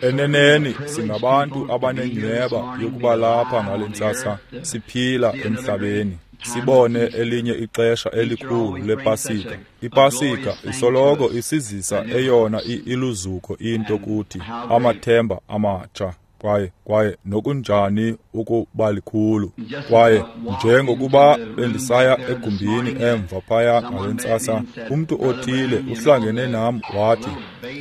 Eneneni singabantu abanenyhweba yokuba lapha ngale ntsasa siphila emhlabeni, sibone elinye ixesha elikhulu lePasika. IPasika isoloko isizisa eyona iluzuko into kuthi, amathemba amatsha. Kwaye nokunjani ukuba likhulu. Kwaye njengokuba bendisaya egumbini emva phaya ngale ntsasa, umntu othile uhlangene nam wathi,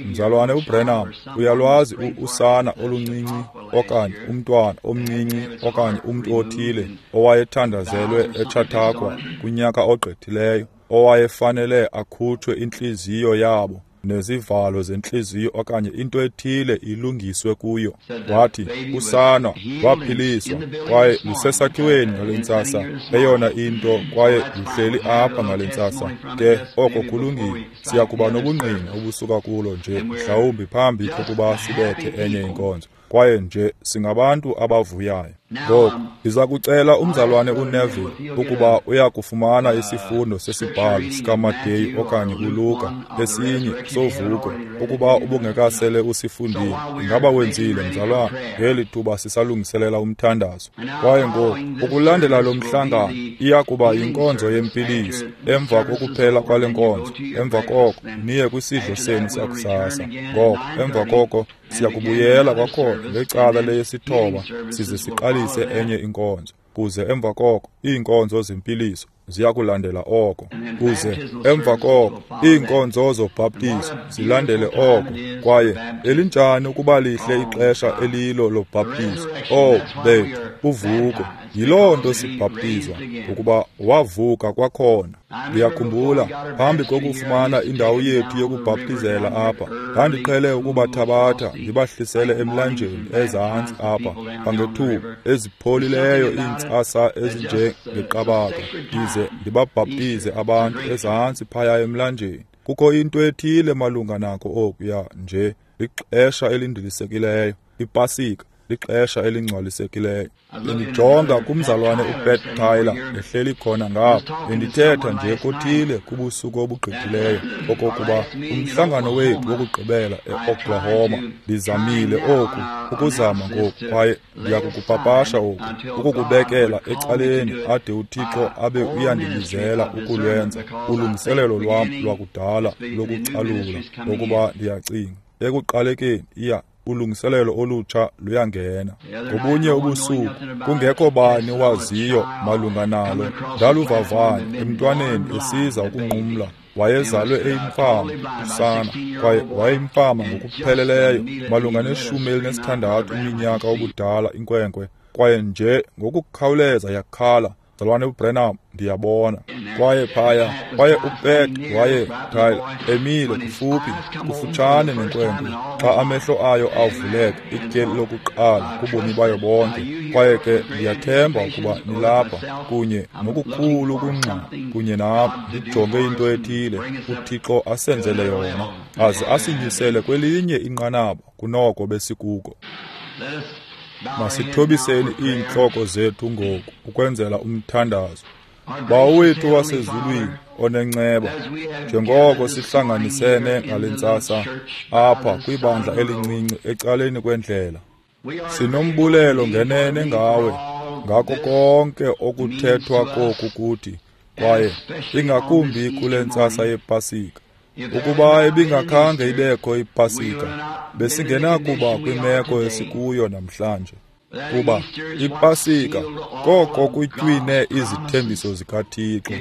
Mzalwane uBrenham, uyalwazi usana oluncinci okanye umntwana omncinci okanye umntu othile owayethandazelwe eChautauqua kunyaka ogqithileyo, owayefanele akhutshwe intliziyo yabo nezivalo zentliziyo okanye into ethile ilungiswe kuyo. Wathi usana waphiliswa kwaye lusesakhiweni ngale ntsasa, eyona into, kwaye luhleli apha ngale ntsasa. Ke oko kulungile, siya kuba nobungqina obusuka kulo nje mhlawumbi phambi kokuba sibethe enye inkonzo. Kwaye nje singabantu abavuyayo. Ngoku ndiza kucela umzalwane uNeville ukuba uya kufumana isifundo sesibhalo sikaMateyu okanye uLuka esinye sovuko, ukuba ubungekasele usifundile. Ingaba wenzile, mzalwane, ngeli thuba sisalungiselela umthandazo? Kwaye ngoku ukulandela lo mhlangano iya kuba yinkonzo yempiliso emva kokuphela kwale nkonzo. Emva koko niye kwisidlo senu sakusasa. Ngoko emva koko siyakubuyela kwakhona ngecala leyesithoba size siqalise enye inkonzo, kuze emva koko iinkonzo zempiliso ziyakulandela oko, kuze emva koko iinkonzo zobhaptizo zilandele oko. Kwaye elinjani ukuba lihle ixesha elilo lobhaptizo! Oh bethu, uvuko! Yiloo nto sibhaptizwa, ukuba wavuka kwakhona. Ndiyakhumbula phambi kokufumana indawo yethu yokubhaptizela apha, ndandiqhele ukubathabatha ndibahlisele emlanjeni ezantsi apha kwangethuba ezipholileyo iintsasa ezinjengeqabaka, ndize ndibabhaptize abantu ezantsi phaya emlanjeni. Kukho into ethile malunga nako okuya nje lixesha elindilisekileyo, iPasika lixesha elingcwalisekileyo. Bendijonga kumzalwane uPat Tyler ehleli khona ngapha, bendithetha nje kothile kubusuku obugqithileyo okokuba umhlangano wethu wokugqibela eOklahoma, ndizamile oku ukuzama ngoku, kwaye ndiyakukupapasha oku, ukukubekela ecaleni ade uThixo abe uyandibizela ukulwenza ulungiselelo lwam lwakudala lokucalula, ngokuba ndiyacinga ekuqalekeni iya ulungiselelo olutsha luyangena. Ngobunye ubusuku, kungekho bani waziyo malunga nalo, ndaluvavanya emntwaneni esiza ukunqumla. Wayezalwe eyimfama usana, kwaye wayeyimfama ngokupheleleyo, malunga ne-16 iminyaka obudala inkwenkwe, kwaye nje ngokukhawuleza yakhala, Mzalwane uBrenham, ndiyabona. Kwaye phaya, kwaye uPat waye Tyler emile kufutshane nenkwenkwe xa amehlo ayo avuleka ityeli lokuqala kubomi bayo bonke. Kwaye ke ndiyathemba ukuba nilapha kunye nokukhulu ukungxama kunye nam, ndijonge into ethile uThixo asenzele yona, aze asinyusele kwelinye inqanaba kunoko besikuko. Masithobiseni iintloko zethu ngoku ukwenzela umthandazo. Bawo wethu wasezulwini onenceba, njengoko sihlanganisene ngale ntsasa apha kwibandla elincinci ecaleni kwendlela, sinombulelo ngenene ngawe ngako konke okuthethwa koku kuthi, kwaye ingakumbi kule ntsasa yePasika. Ukuba ibingakhange ibekho iPasika, besingenakuba kwimeko esikuyo namhlanje. Kuba iPasika koko kutywine izithembiso zikaThixo,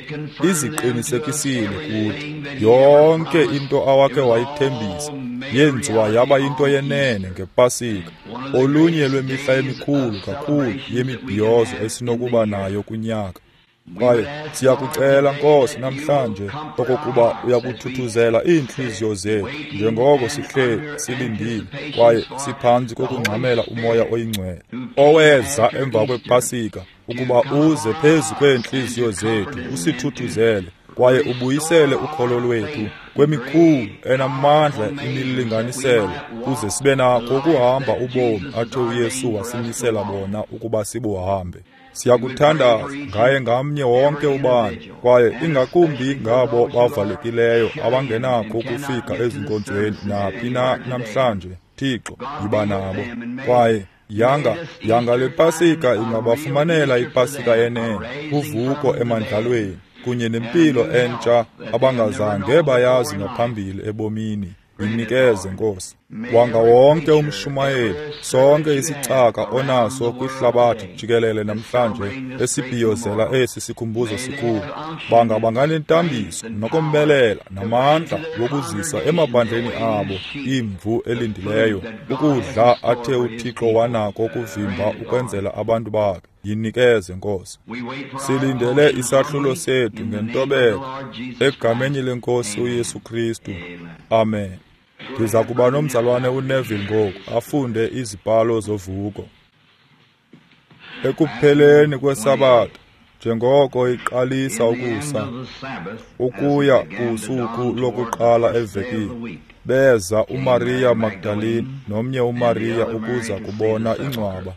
iziqinisekisile kuthi. Yonke into awakhe wayithembisa yenziwa yaba yinto yenene ngePasika, olunye lwemihla emikhulu kakhulu yemibhiyozo esinokuba nayo kunyaka. Kwaye siyakucela, Nkosi, namhlanje okokuba uyakuthuthuzela iintliziyo zethu njengoko sihleli silindile kwaye siphantsi kokungxamela uMoya oyiNgcwele oweza emva kwePasika ukuba uze phezu kweentliziyo zethu usithuthuzele kwaye ubuyisele ukholo lwethu kwemikhulu enamandla imilinganiselo, kuze sibe nakho ukuhamba ubomi athe uYesu wasimisela bona ukuba sibuhambe. Siyakuthandaza ngaye ngamnye wonke ubani, kwaye ingakumbi ngabo bavalekileyo abangenakho ukufika ezinkonzweni naphi na namhlanje. Thixo, yiba nabo. Kwaye yanga le Pasika ingabafumanela iPasika yenene, uvuko emandlalweni, kunye nempilo entsha abangazange bayazi ngaphambili ebomini. Yinikeze, Nkosi. Wanga wonke umshumayeli, sonke isicaka onaso kwihlabathi jikelele namhlanje esibhiyozela esi sikhumbuzo sikhulu, banga banganentambiso nokombelela namandla wokuzisa emabandleni abo imvu elindileyo ukudla athe uThixo wanako ukuvimba ukwenzela abantu bakhe. Yinikeze, Nkosi. Silindele isahlulo sethu ngentobeko egameni lenkosi uYesu Kristu. Amen. Ndiza kuba nomzalwane uNeville ngoku afunde izibhalo zovuko. Ekupheleni kweSabatha, njengoko iqalisa ukusa ukuya kusuku lokuqala evekini, beza uMaria Magdalene nomnye uMaria ukuza kubona ingcwaba.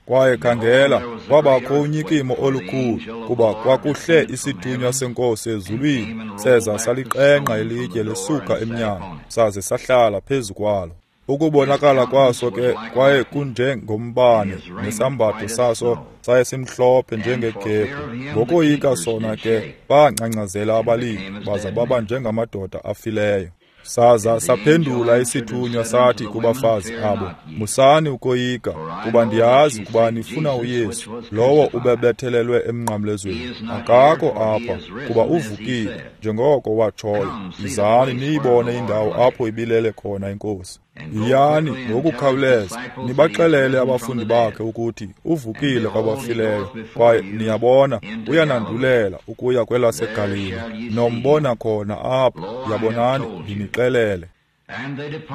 Kwaye khangela, kwabakho unyikimo olukhulu, kuba kwakuhle isithunywa senkosi ezulwini, seza saliqengqa ilitye lisuka emnyango, saze sahlala phezu kwalo. Ukubonakala kwaso ke kwaye kunjengombane, nesambatho saso saye simhlophe njengegebhu. Ngokoyika sona ke bangcangcazela abalindi, baza baba njengamadoda afileyo. Saza saphendula isithunywa sathi kubafazi abo, musani ukoyika, kuba ndiyazi ukuba nifuna uYesu, lowo ubebethelelwe emnqamlezweni. Akakho apha, kuba uvukile, njengoko watshoyo. Yizani niyibone indawo apho ibilele khona iNkosi. Yiyani ngokukhawuleza, nibaxelele abafundi bakhe ukuthi uvukile kwabafileyo, kwaye niyabona uyanandulela ukuya kwelaseGalili. Nombona khona apho, yabonani, ndinixelele.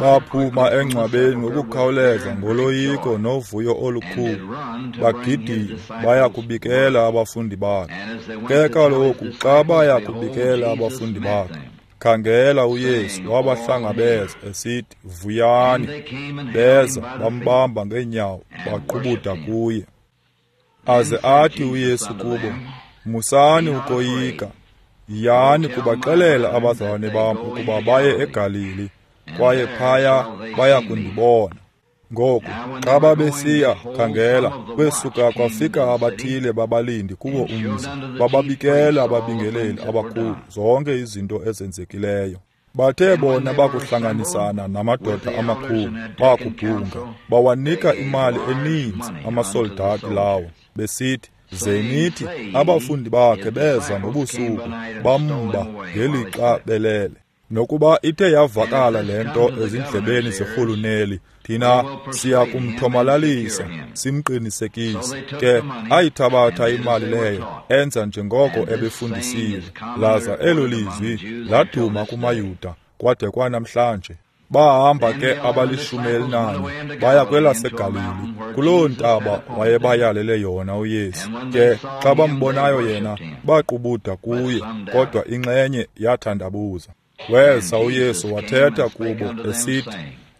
Baphuma engcwabeni ngokukhawuleza ngoloyiko novuyo olukhulu, bagidima baya kubikela abafundi bakhe. Ke kaloku xa baya kubikela abafundi bakhe, khangela uYesu wabahlangabeza esithi, vuyani. Beza bambamba ngeenyawo, baqubuda kuye. Aze athi uYesu kubo, musani ukoyika, yiyani kubaxelela abazalwane bam ukuba baye eGalili, kwaye phaya baya kundibona. Ngoku xa babesiya, khangela, kwesuka kwafika abathile babalindi kuwo umzi, bababikela ababingeleli abakhulu zonke izinto ezenzekileyo. Bathe bona bakuhlanganisana namadoda amakhulu, bakubhunga, bawanika imali eninzi amasoldati lawo, besithi, zenithi abafundi bakhe beza ngobusuku, bamba ngelixa belele. Nokuba ithe yavakala le nto ezindlebeni zerhuluneli, thina siya kumthomalalisa simqinisekise. Ke ayithabatha imali leyo, enza njengoko ebefundisiwe. Laza elo lizwi laduma kumaYuda kwade kwanamhlanje. Bahamba ke abali-14 baya kwelaseGalili, kuloo ntaba wayebayalele yona uYesu. Ke xa bambonayo yena, baqubuda kuye, kodwa inxenye yathandabuza. Weza uYesu wathetha kubo esithi,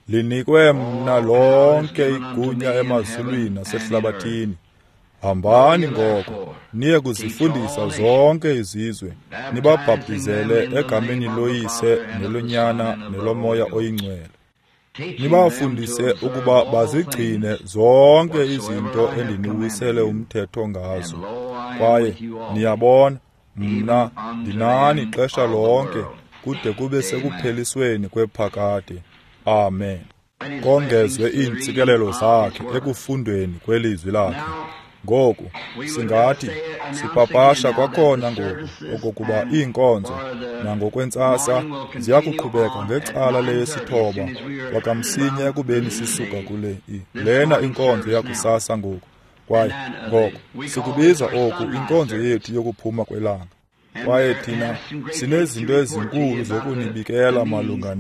linikwe mna lonke igunya emazulwini nasehlabathini. Hambani ngoko, niye kuzifundisa zonke izizwe, nibabhaptizele egameni loYise neloNyana neloMoya oyiNgcwele. Nibafundise ukuba bazigcine zonke izinto endiniwisele umthetho ngazo. Kwaye niyabona, mna ndinani ixesha lonke, kude kube sekuphelisweni kwephakade. Amen. Kongezwe iintsikelelo zakhe ekufundweni kwelizwi lakhe. Ngoku singathi sipapasha kwakhona ngoku okokuba iinkonzo nangokwentsasa ziyakuqhubeka ngecala leyesithoba kwakamsinya ekubeni sisuka kule lena inkonzo yakusasa ngoku. Kwaye ngoko sikubiza oku inkonzo yethu yokuphuma kwelanga. Kwaye thina sinezinto ezinkulu zokunibikela malunga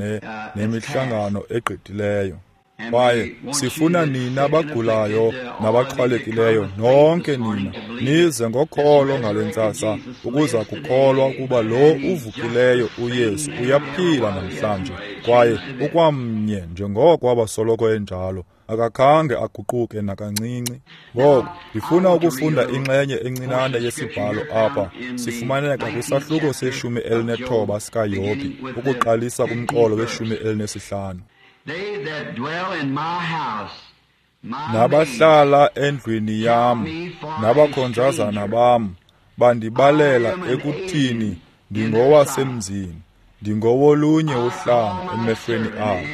nemihlangano egqithileyo. Kwaye sifuna nina bagulayo nabaxhwalekileyo nonke nina nize ngokholo ngale ntsasa ukuza kukholwa ukuba lo uvukileyo uYesu uyaphila namhlanje, kwaye ukwamnye njengoko abasoloko enjalo, akakhange aguquke nakancinci. Ngoko ndifuna ukufunda inxenye encinane yesibhalo apha. Sifumaneka kwisahluko se-19 sikaYobhi, ukuqalisa kumqolo we-15. Nabahlala endlwini yam nabakhonzazana bam bandibalela ekuthini ndingowasemzini, ndingowolunye uhlanga emehlweni abo.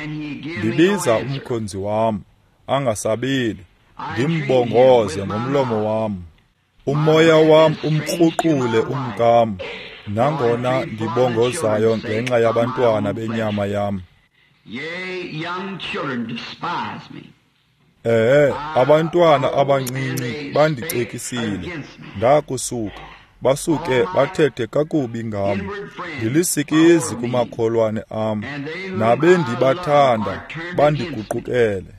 Ndibiza umkhonzi wam angasabeli, ndimbongoze ngomlomo wam. Umoya wam umkruqule umkam, nangona ndibongozayo ngenxa yabantwana benyama yam. Abantwana abancinci bandicekisile, ndakusuka basuke bathethe kakubi ngam. Ndilisikizi kumakholwane am, nabendibathanda bandiguqukele.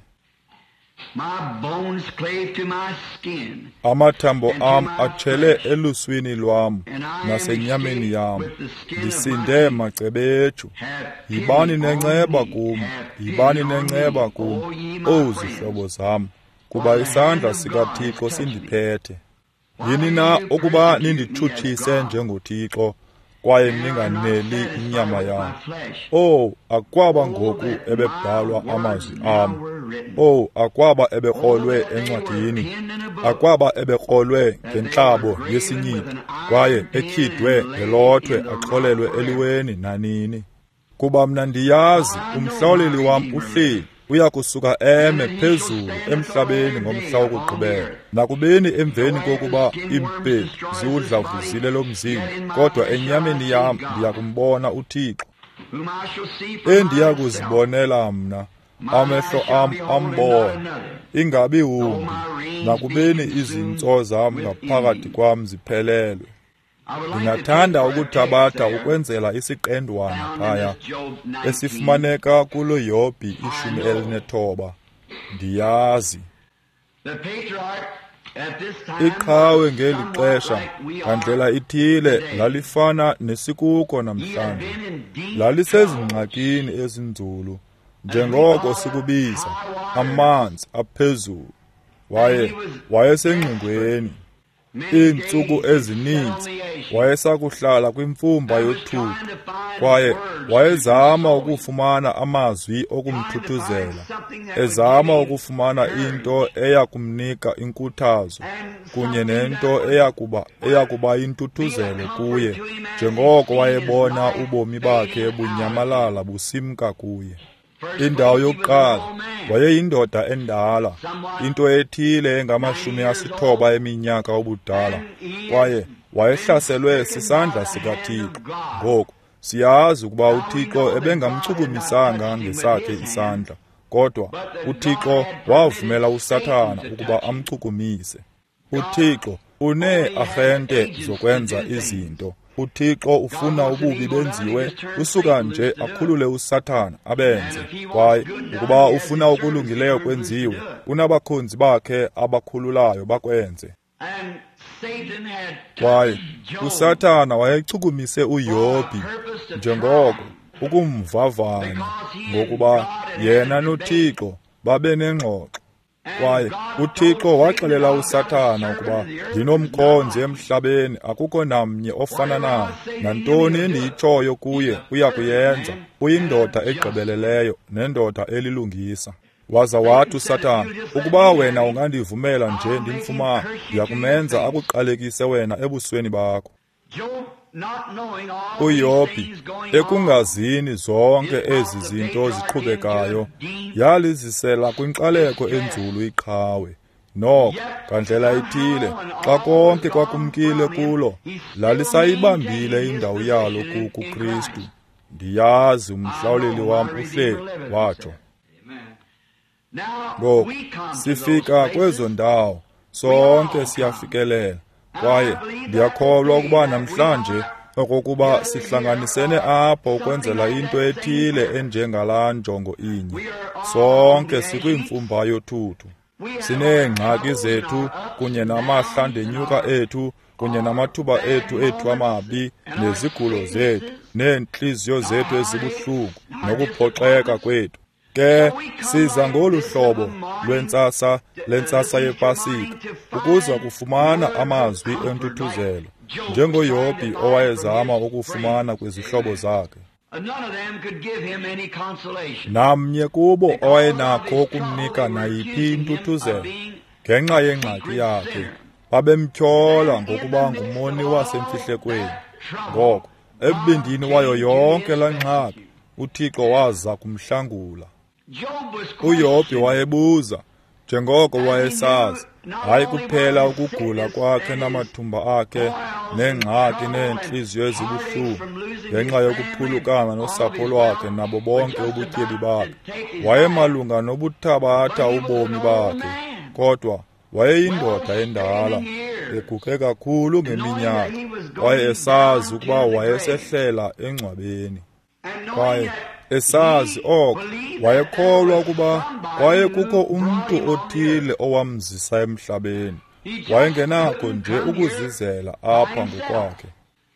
Amathambo am atshele eluswini lwam nasenyameni yam, ndisinde macebetshu. Yibani nenceba kum, yibani nenceba kum, owu zihlobo zam, kuba isandla sikaThixo sindiphethe. Yini na ukuba ninditshutshise njengoThixo, kwaye ninganeli inyama yam? Owu, akwaba ngoku ebebhalwa amazwi am. Owu, akwaba ebekrolwe encwadini, akwaba ebekrolwe ngentlabo yesinyitho, kwaye etyhidwe ngelothwe axolelwe eliweni nanini. Kuba mna ndiyazi umhlawuleli wam uhleli, uya kusuka eme phezulu emhlabeni ngomhla wokugqibela. Nakubeni emveni kokuba iimpedu ziwudlavuzile lo mzimba, kodwa enyameni yam ndiya kumbona uThixo, endiya kuzibonela mna, amehlo am ambona, ingabi wumbi, nakubeni izintso zam ngaphakathi kwam ziphelelwe. Ndingathanda ukuthabatha ukwenzela isiqendwana phaya esifumaneka kulo Yobhi 19. Ndiyazi iqhawe ngeli xesha ngandlela ithile lalifana nesikuko namhlanje. Lalisezingxakini ezinzulu, njengoko sikubiza amanzi aphezulu. Wayesengxingweni iintsuku ezininzi, wayesakuhlala kwimfumba yothuthu, kwaye wayezama ukufumana amazwi okumthuthuzela, ezama ukufumana into eya kumnika inkuthazo kunye nento eyakuba yintuthuzelo kuye, njengoko wayebona ubomi bakhe bunyamalala busimka kuye. Indawo yokuqala, wayeyindoda endala, into ethile engama-90 eminyaka ubudala, kwaye wayehlaselwe sisandla sikaThixo. Ngoku siyazi ukuba uThixo ebengamchukumisanga ngesakhe isandla, kodwa uThixo wavumela uSathana ukuba amchukumise. uThixo unee-arhente zokwenza izinto. uThixo ufuna ububi benziwe, usuka nje akhulule uSathana abenze. Kwaye ukuba ufuna okulungileyo kwenziwe, unabakhonzi bakhe abakhululayo bakwenze. Kwaye uSathana wayechukumise uYobhi njengoko ukumvavanya, ngokuba yena noThixo babe nengxoxo. Kwaye uThixo waxelela uSathana ukuba ndinomkhonzi emhlabeni, akukho namnye ofana naye. Nantoni endiyitshoyo kuye uya kuyenza. Uyindoda egqibeleleyo nendoda elilungisa. Waza wathi uSathana, ukuba wena ungandivumela nje ndimfumane, ndiya kumenza akuqalekise wena ebusweni bakho. uYobhi, ekungazini zonke ezi zinto ziqhubekayo, yalizisela kwinkxaleko enzulu iqhawe. Noko, ngandlela ithile, xa konke kwakumkile kulo, lalisayibambile indawo yalo kuKristu. Ndiyazi umhlawuleli wam uhleli, watsho. Ngoku sifika kwezo ndawo, sonke siyafikelela. Kwaye ndiyakholwa ukuba namhlanje okokuba sihlanganisene apho ukwenzela into ethile enjengalaa njongo inye. Sonke sikwimfumba yothuthu. Sineengxaki zethu kunye namahlandenyuka ethu kunye namathuba ethu amabi nezigulo zethu neentliziyo zethu ezibuhlungu nokuphoxeka kwethu. Ke siza ngolu hlobo lwentsasa lentsasa yePasika ukuza kufumana amazwi entuthuzelo, njengoYobhi owayezama ukufumana kwizihlobo zakhe. Namnye kubo owayenakho ukumnika nayiphi intuthuzelo ngenxa yengxaki yakhe. Babemtyhola ngokuba ngumoni wasemfihlekweni. Ngoko ebindini wayo yonke laa ngxaki, uThixo waza kumhlangula. UYobhi wayebuza, njengoko wayesazi, hayi kuphela ukugula kwakhe namathumba akhe neengxaki neentliziyo ezibuhlungu ngenxa yokuphulukana nosapho lwakhe nabo bonke ubutyebi bakhe. Wayemalunga nobuthabatha ubomi bakhe, kodwa wayeyindoda endala, eguge kakhulu ngeminyaka, kwaye esazi ukuba wayesehlela engcwabeni. Kwaye esazi oko, wayekholwa ukuba kwaye kukho umntu othile owamzisa emhlabeni. Wayengenakho nje ukuzizela apha ngokwakhe.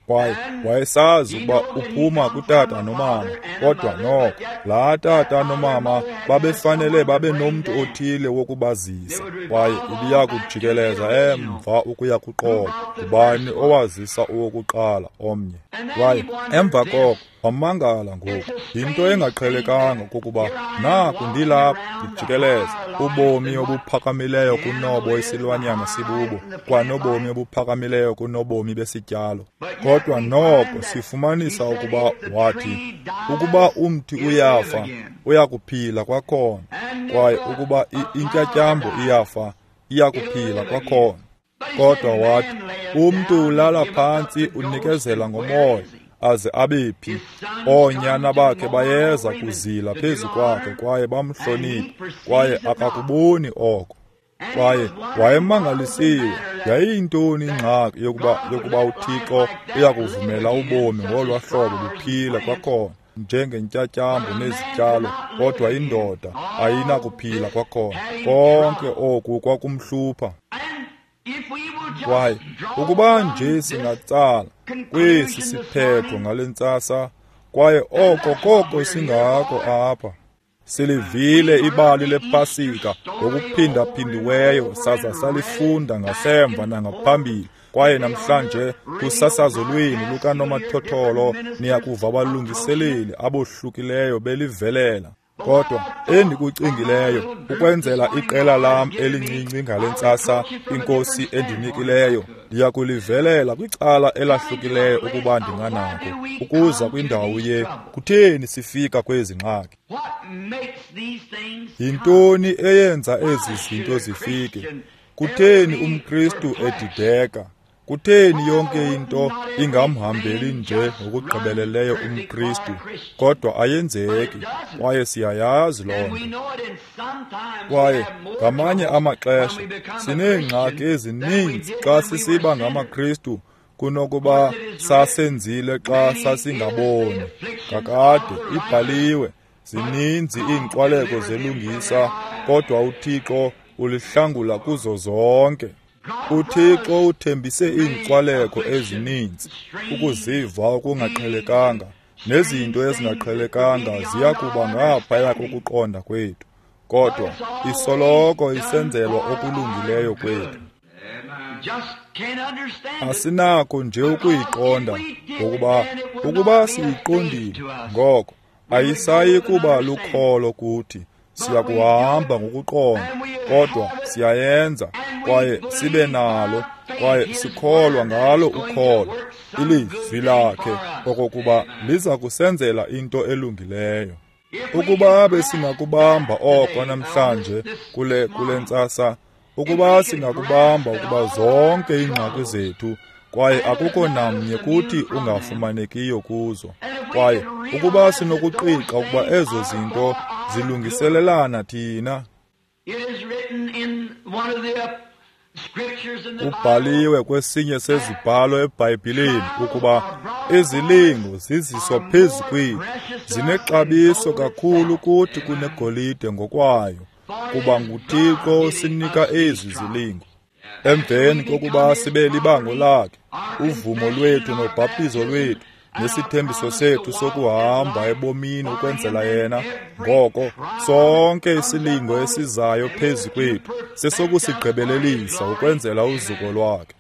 Kwaye wayesazi ukuba uphuma kutata nomama, kodwa noko laa tata nomama babefanele babe nomntu othile wokubazisa, kwaye ibiya kujikeleza emva ukuya kuqobo ngubani owazisa owokuqala omnye. Kwaye emva koko wamangala ngoku, yinto engaqhelekanga okokuba naku ndilapha ndijikeleza ubomi obuphakamileyo kunobo isilwanyana sibubo, kwanobomi obuphakamileyo kunobomi besityalo. Kodwa noko sifumanisa ukuba wathi, ukuba umthi uyafa, uyakuphila kwakhona, kwaye ukuba intyatyambo iyafa, iyakuphila kwakhona. Kodwa wathi, umntu ulala phantsi unikezela ngomoya, aze abe phi? Oonyana bakhe bayeza kuzila phezu kwakhe kwaye bamhloniphe, kwaye akakuboni oko. Kwaye wayemangalisiwe, yayiyintoni ingxaki yokuba uThixo uyakuvumela ubomi ngolwa hlobo buphile kwakhona njengentyatyambo nezityalo, kodwa indoda ayinakuphila kwakhona. Konke oku kwakumhlupha. Kwaye ukuba nje singatsala kwesi siphetho ngale ntsasa, kwaye oko koko singako apha. Silivile ibali lePasika ngokuphindaphindiweyo, saza salifunda ngasemva nangaphambili. Kwaye namhlanje kusasazo lwenu lukanomathotholo niyakuva abalungiseleli abohlukileyo belivelela. Kodwa endikucingileyo ukwenzela iqela lam elincinci ngale ntsasa iNkosi endinikileyo, ndiyakulivelela kwicala elahlukileyo ukuba ndinganako ukuza kwindawo ye kutheni sifika kwezi ngxaki. Yintoni eyenza ezi zinto zifike? Kutheni umKristu edideka? Kutheni yonke into ingamhambeli nje ngokugqibeleleyo umKristu, kodwa ayenzeki, kwaye siyayazi loo nto. Kwaye ngamanye amaxesha sineengxaki ezininzi xa sisiba ngamaKristu kunokuba sasenzile xa sasingaboni. Kakade ibhaliwe, zininzi iinkxwaleko zelungisa, kodwa uThixo ulihlangula kuzo zonke. UThixo uthembise iinkxwaleko ezininzi, ukuziva okungaqhelekanga, nezinto ezingaqhelekanga ziya kuba ngaphaya kokuqonda kwethu, kodwa isoloko isenzelwa okulungileyo kwethu. Asinakho nje ukuyiqonda, ngokuba ukuba siyiqondile, ngoko ayisayi kuba lukholo kuthi. Siyakuhamba ngokuqonda, kodwa siyayenza, kwaye sibe nalo, kwaye sikholwa ngalo ukholo ilizwi lakhe okokuba liza kusenzela into elungileyo. Ukuba besingakubamba oko namhlanje kule ntsasa, ukuba singakubamba ukuba zonke iingxaki zethu, kwaye akukho namnye kuthi ungafumanekiyo kuzo, kwaye ukuba sinokuqiqa ukuba ezo zinto zilungiselelana thina. Kubhaliwe kwesinye sezibhalo eBhayibhileni ukuba izilingo ziziswa phezu kwethu, zinexabiso kakhulu kuthi kunegolide ngokwayo, kuba nguThixo osinika ezi zilingo. Emveni kokuba sibe libango lakhe, uvumo lwethu nobhaptizo lwethu nesithembiso sethu sokuhamba ebomini ukwenzela yena, ngoko sonke isilingo esizayo phezu kwethu sesokusigqibelelisa ukwenzela uzuko lwakhe.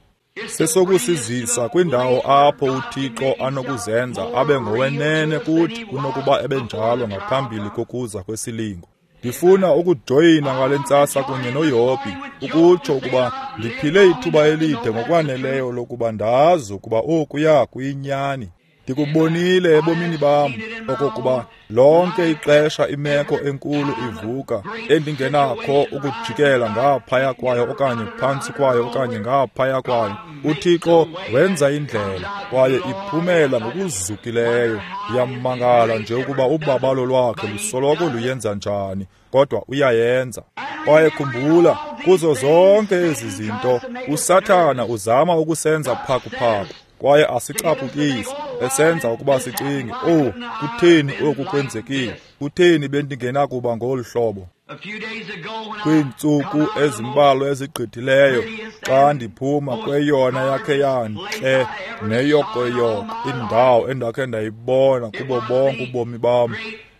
Sesokusizisa kwindawo apho uThixo anokuzenza abe ngowenene kuthi kunokuba ebenjalo ngaphambili kokuza kwesilingo. Ndifuna ukujoyina ngale ntsasa kunye noYobhi, ukutsho ukuba ndiphile ithuba elide ngokwaneleyo lokuba ndazi ukuba okuya kuyinyani. Ndikubonile ebomini bam okokuba lonke ixesha imeko enkulu ivuka endingenakho ukujikela ngaphaya kwayo okanye phantsi kwayo okanye ngaphaya kwayo, uThixo wenza indlela kwaye iphumela ngokuzukileyo. Ndiyamangala nje ukuba ubabalo lwakhe lusoloko luyenza njani, kodwa uyayenza. Kwaye khumbula, kuzo zonke ezi zinto uSathana uzama ukusenza phakuphaku kwaye asicaphukise, esenza ukuba sicinge, "Oh, kutheni oku kwenzekile? Kutheni bendingenakuba ngolu hlobo?" Kwiintsuku ezimbalwa ezigqithileyo, xa ndiphuma kweyona yakhe yantle neyokoyoko indawo endakhe ndayibona kubo bonke ubomi bam,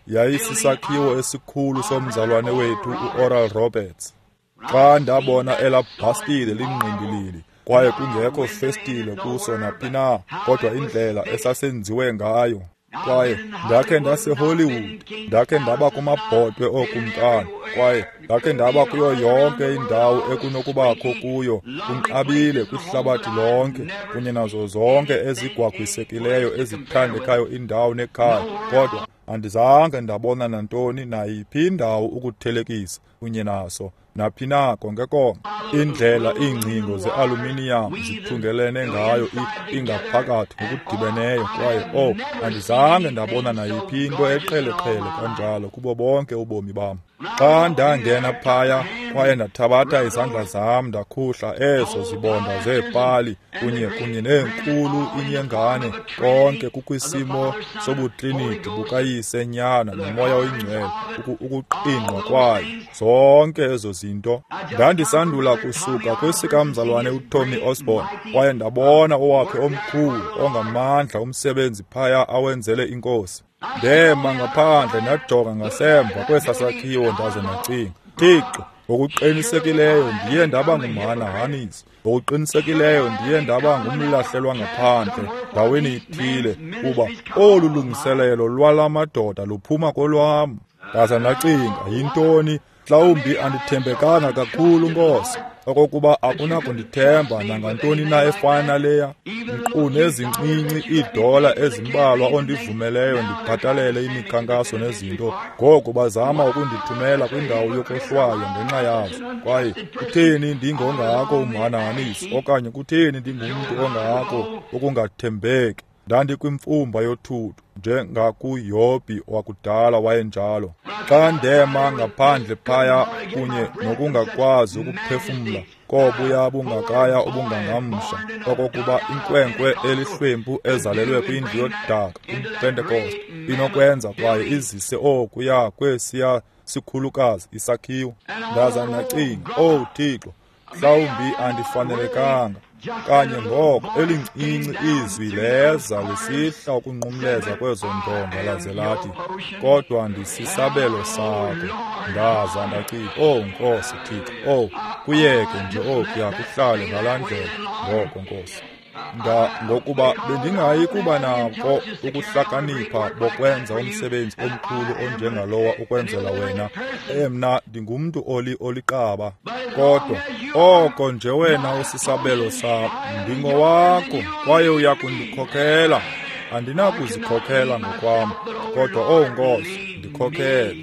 yayisisakhiwo esikhulu somzalwane wethu uOral Roberts. Xa ndabona elaa bhastile lingqindilili kwaye kungekho festile kuso naphi na, kodwa indlela esasenziwe ngayo. Kwaye ndakhe ndaseHollywood, ndakhe ndaba kumabhotwe ookumkani, kwaye ndakhe ndaba kuyo yonke indawo ekunokubakho kuyo, kunqabile kwihlabathi lonke, kunye nazo zonke ezigwagwisekileyo ezithandekayo indawo nekhaya, kodwa andizange ndabona nantoni nayiphi indawo ukuthelekisa kunye naso naphi na konke konke. Indlela iingcingo ze-aluminiyam zithungelene ngayo ingaphakathi ngokudibeneyo, kwaye oh, andizange ndabona nayiphi into eqheleqhele kanjalo kubo bonke ubomi bam. Xa ndangena phaya kwaye ndathabatha izandla zam ndakhuhla ezo zibonda zeepali kunye neenkulu inyengane, konke kukwisimo sobutliniti bukayise nyana nomoya oyingcwele, ukuqingqwa kwayo zonke ezo zinto. Ndandisandula kusuka kwesikamzalwane uTommy Osborne kwaye ndabona owakhe omkhulu ongamandla umsebenzi phaya awenzele inkosi. Ndema ngaphandle ndajonga ngasemva kwesa sakhiwo ndaze ndacinga, Thixo, ngokuqinisekileyo ndiye ndaba ngumhanahanisi, ngokuqinisekileyo ndiye ndaba ngumlahlelwa ngaphandle ndaweni ithile, kuba olu lungiselelo lwala madoda luphuma kolwam. Ndaza ndacinga, yintoni? Mhlawumbi andithembekanga kakhulu, Nkosi, okokuba akunakundithemba nangantoni na efana naleya. Nkqu nezincinci iidola ezimbalwa ondivumeleyo ndibhatalele imikhankaso nezinto, ngoku bazama ukundithumela kwindawo yokohlwaywa ngenxa yazo. Kwaye kutheni ndingongako umhanahanisi, okanye kutheni ndingumntu ongako ukungathembeki? Ndandikwimfumba yothuthu njengakuYobhi wakudala wayenjalo. Xa ndema ngaphandle phaya kunye nokungakwazi ukuphefumla kobuya bungakaya obungangamsha, okokuba inkwenkwe elihlwempu ezalelwe kwindlu yodaka umPentekoste inokwenza kwaye izise okuya kwesiya sikhulukazi isakhiwo. Ndaza ndacinga, "Oh Thixo, mhlawumbi andifanelekanga." Kanye ngoko elincinci izwi leza lisihla ukunqumleza kwezo ndonga laze lathi, "Kodwa ndisisabelo sakho." Ndaza ndacinga, "Oh Nkosi Thixo, oh kuyeke nje okuya kuhlale ngalaa ndlela ngoko Nkosi." Ngokuba bendingayi kuba nako ukuhlakanipha bokwenza umsebenzi omkhulu onjengalowa ukwenzela wena. Mna ndingumntu oliqaba, kodwa oko nje wena usisabelo sam, ndingowakho kwaye uya kundikhokhela. Andinakuzikhokhela ngokwam, kodwa oh Nkosi, ndikhokhele.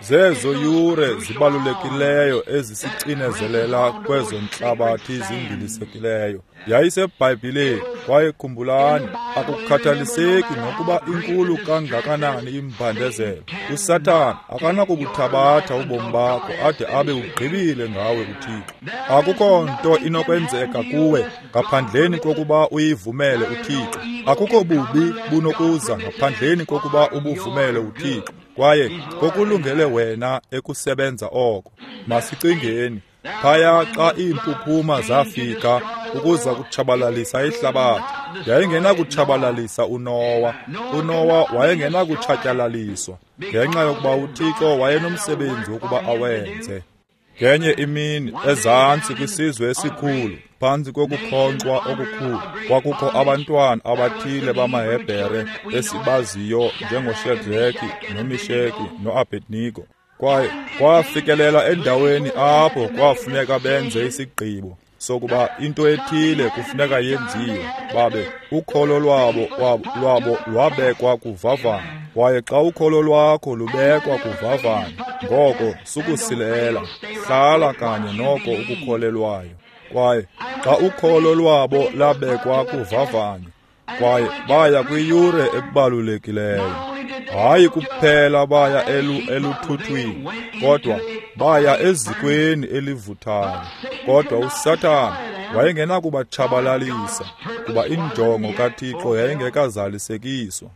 Zezo yure zibalulekileyo ezisicinezelela kwezo ntlabathi zindilisekileyo. YayiseBhayibhileni, kwaye khumbulani, akukhathaliseki nokuba inkulu kangakanani imbandezelo, uSathana akanakubuthabatha ubomi bakho ade abe ugqibile ngawe uThixo. Akukho nto inokwenzeka kuwe ngaphandleni kokuba uyivumele uThixo. Akukho bubi bunokuza ngaphandleni kokuba ubuvumele uThixo. Kwaye kokulungele wena ekusebenza oko. Masicingeni phaya xa iimpuphuma zafika ukuza kutshabalalisa ihlabathi, yayingenakutshabalalisa uNowa. UNowa wayengenakutshatyalaliswa ngenxa yokuba uThixo wayenomsebenzi wokuba awenze. Ngenye imini ezantsi kwisizwe esikhulu, phantsi kokukhonkxwa okukhulu, kwakukho abantwana abathile bamaHebhere esibaziyo njengoShadraki noMisheki noAbednego. Kwaye kwafikelela endaweni apho kwafuneka benze isigqibo sokuba into ethile kufuneka yenziwe. Babe ukholo lwabo lwabekwa kuvavanyo. Kwaye xa ukholo lwakho lubekwa kuvavanyo, ngoko sukusilela, hlala kanye noko ukukholelwayo. Kwaye xa ukholo lwabo labekwa kuvavanyo, kwaye baya kwiyure ebalulekileyo. Hayi kuphela baya eluthuthwini, kodwa baya ezikweni elivuthayo. Kodwa uSathana wayengenakubatshabalalisa, kuba injongo kaThixo yayingekazalisekiswa.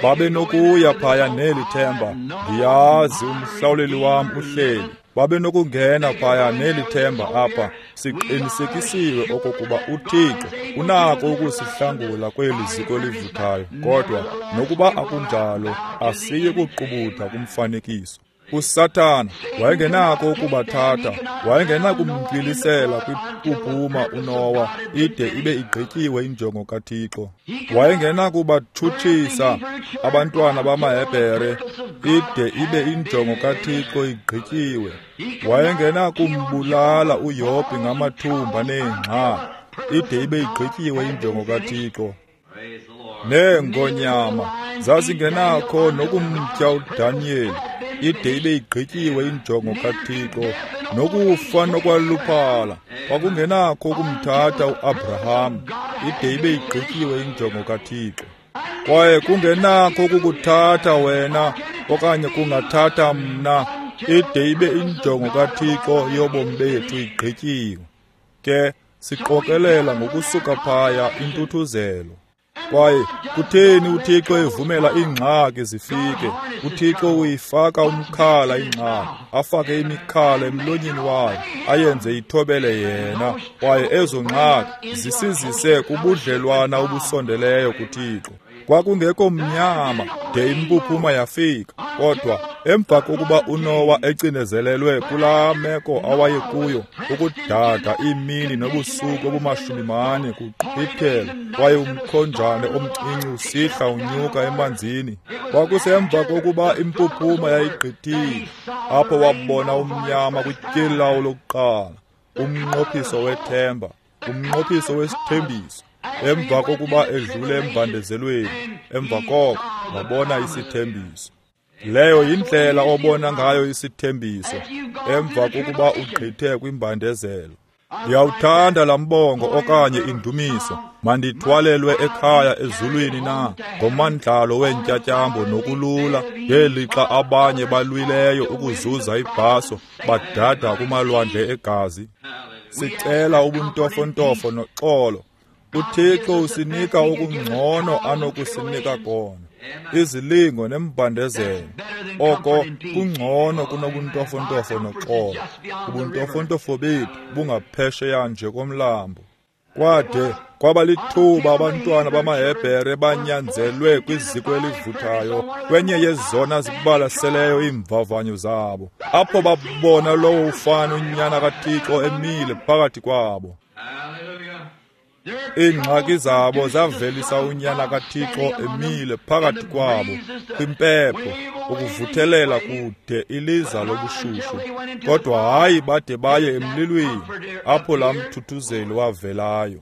Babenokuya phaya neli themba, ndiyazi umhlawuleli wam uhleli. Babenokungena phaya neli themba apha, siqinisekisiwe okokuba uThixo unako ukusihlangula kweli ziko livuthayo, kodwa nokuba akunjalo asiyi kuqubutha kumfanekiso. uSathana wayengenako ukubathatha, wayengenakumntwilisela kwimpuphuma uNowa ide ibe igqityiwe injongo kaThixo. Wayengenakubatshutshisa abantwana bamaHebhere ide ibe injongo kaThixo igqityiwe. Wayengenakumbulala uYobhi ngamathumba neengxaki ide ibe igqityiwe injongo kaThixo. Neengonyama zazingenakho nokumtya uDaniyeli ide ibe igqityiwe injongo kaThixo. Nokufa nokwaluphala kwakungenakho ukumthatha uAbraham ide ibe igqityiwe injongo kaThixo. Kwaye kungenakho ukukuthatha wena okanye kungathatha mna ide ibe injongo kaThixo yobomi bethu igqityiwe. Ke siqokelela ngokusuka phaya intuthuzelo. Kwaye kutheni uThixo evumela iingxaki zifike? uThixo uyifaka umkhala ingxaki, afake imikhala emlonyeni wayo, ayenze ithobele yena. Kwaye ezo ngxaki zisizise kubudlelwana obusondeleyo kuThixo. Kwakungekho mnyama de impuphuma yafika, kodwa emva kokuba uNowa ecinezelelwe kulaa meko awayekuyo, ukudada iimini nobusuku obumashubi-mane kuqhwithela, kwaye umkhonjane omncinci usihla unyuka emanzini. Kwakusemva kokuba impuphuma yayigqithile, apho wabona umnyama kwityeli lawo lokuqala, umnqophiso wethemba, umnqophiso wesithembiso. Emva kokuba edlule embandezelweni, emva koko wabona isithembiso. Leyo yindlela obona ngayo isithembiso emva kokuba ugqithe kwimbandezelo. Ndiyawuthanda laa mbongo okanye indumiso, mandithwalelwe ekhaya ezulwini na ngomandlalo weentyatyambo nokulula, ngelixa abanye balwileyo ukuzuza ibhaso badada kumalwandle egazi. Sicela ubuntofontofo noxolo. uThixo usinika okungcono anokusinika kona, izilingo nembandezelo. Oko kungcono kunobuntofontofo noxolo. Ubuntofontofo bethu bungaphesheya nje komlambo. Kwade kwaba lithuba abantwana bamaHebhere banyanzelwe kwiziko elivuthayo, kwenye yezona zibalaseleyo iimvavanyo zabo, apho babona lowo ufana unyana kaThixo emile phakathi kwabo. Iingxaki zabo zavelisa unyana kaThixo emile phakathi kwabo kwimpepho, ukuvuthelela kude iliza lobushushu. Kodwa hayi bade baye emlilweni, apho laa mthuthuzeli wavelayo.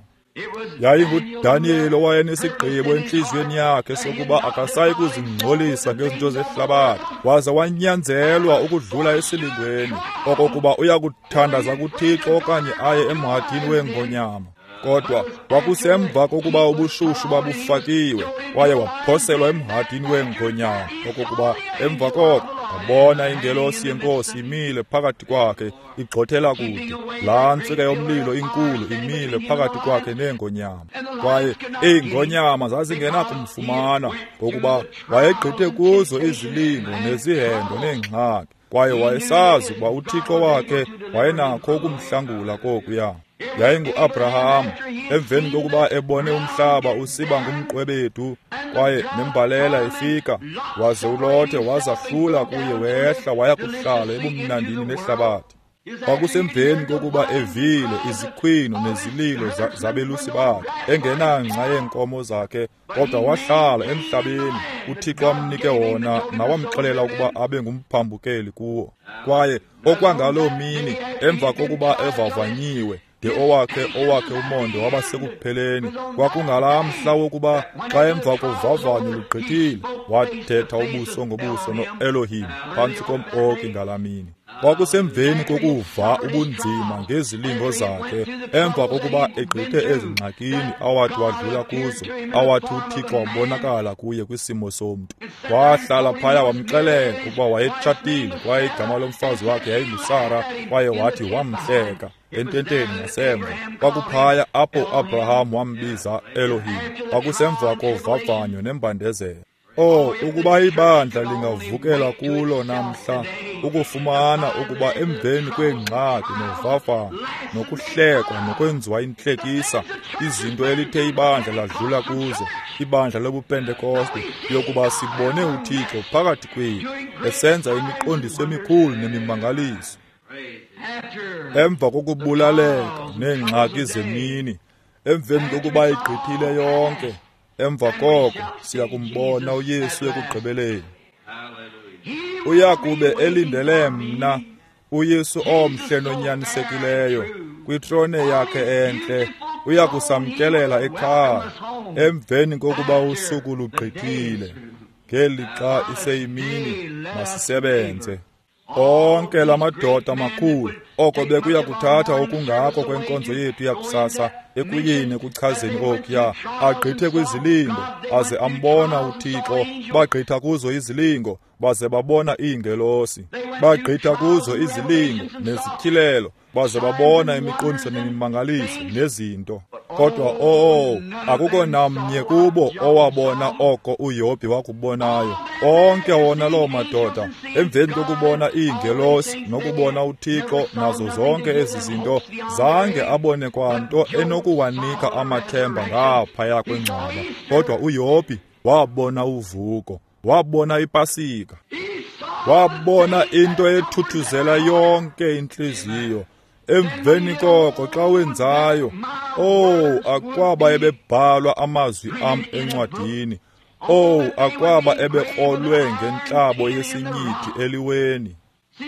YayinguDaniyeli owayenesigqibo entliziyweni yakhe sokuba akasayi kuzingcolisa ngezinto zehlabathi, waza wanyanzelwa ukudlula esilingweni okokuba uyakuthandaza kuThixo okanye aye emhadini weengonyama. Kodwa kwakusemva kokuba ubushushu babufakiwe, kwaye waphoselwa emhadini weengonyama, okokuba emva koko wabona ingelosi yeNkosi imile phakathi kwakhe igxothela kude, laa ntsika yomlilo inkulu imile phakathi kwakhe neengonyama. Kwaye iingonyama zazingenakumfumana, ngokuba wayegqithe kuzo izilingo nezihendo neengxaki, kwaye wayesazi ukuba uThixo wakhe wayenakho ukumhlangula kokuya. YayinguAbraham, emveni kokuba ebone umhlaba usiba ngumqwebedu kwaye nembalela ifika, waze uLothe wazahlula kuye wehla waya kuhlala ebumnandini nehlabathi. Kwakusemveni kokuba evile izikhwino nezililo zabelusi bakhe, engenangca yeenkomo zakhe, kodwa wahlala emhlabeni uThixo amnike wona nawamxelela ukuba abe ngumphambukeli kuwo. Kwaye okwangaloo mini, emva kokuba evavanyiwe, de owakhe umonde waba sekupheleni, kwakungalaa mhla wokuba xa emva kovavanyo lugqithile, wathetha ubuso ngobuso noElohim phantsi kom-oki ngalaa mini. Kwakusemveni kokuva ubunzima ngezilingo zakhe, emva kokuba egqithe ezingxakini awathi wadlula kuzo, awathi uThixo wabonakala kuye kwisimo somntu. Wahlala phaya wamxelela ukuba wayetshatile kwaye igama lomfazi wakhe yayinguSara, kwaye wathi wamhleka ententeni ngasemva. Kwakuphaya apho uAbraham wambiza Elohim. Kwakusemva kovavanyo nembandezelo. Oh, ukuba ibandla lingavukela kulo namhla, ukufumana ukuba emveni kweengxaki novavanyo nokuhlekwa nokwenziwa intlekisa, izinto elithe ibandla ladlula kuzo, ibandla lobuPentekoste, yokuba sibone uThixo phakathi kwethu esenza imiqondiso emikhulu nemimangaliso. Emva kokubulaleka neengxaki zemini, emveni kokuba igqithile yonke, emva koko siya kumbona uYesu ekugqibeleni. Uyakube elindele mna, uYesu omhle nonyanisekileyo, kwitrone yakhe entle, uyakusamkelela ekhaya emveni kokuba usuku lugqithile. Ngelixa iseyimini, masisebenze. Onke la madoda makhulu, oko bekuya kuthatha okungako kwenkonzo yethu yakusasa ekuyeni ekuchazeni okuya, agqithe kwizilingo aze ambona uThixo. Bagqitha kuzo izilingo baze babona iingelosi, bagqitha kuzo izilingo nezityhilelo baze babona imiqondiso nemimangaliso nezinto. Kodwa akukho namnye kubo owabona oko uYobhi wakubonayo. Onke wona loo madoda, emveni kokubona iingelosi nokubona uThixo nazo zonke ezi zinto, zange abone kwanto enokuwanika amathemba ngaphaya kwengcwaba. Kodwa uYobhi wabona uvuko, wabona iPasika, wabona into ethuthuzela yonke intliziyo. Emveni koko xa wenzayo, akwaba ebebhalwa amazwi am encwadini, akwaba ebekrolwe ngentlabo yesinyithi eliweni.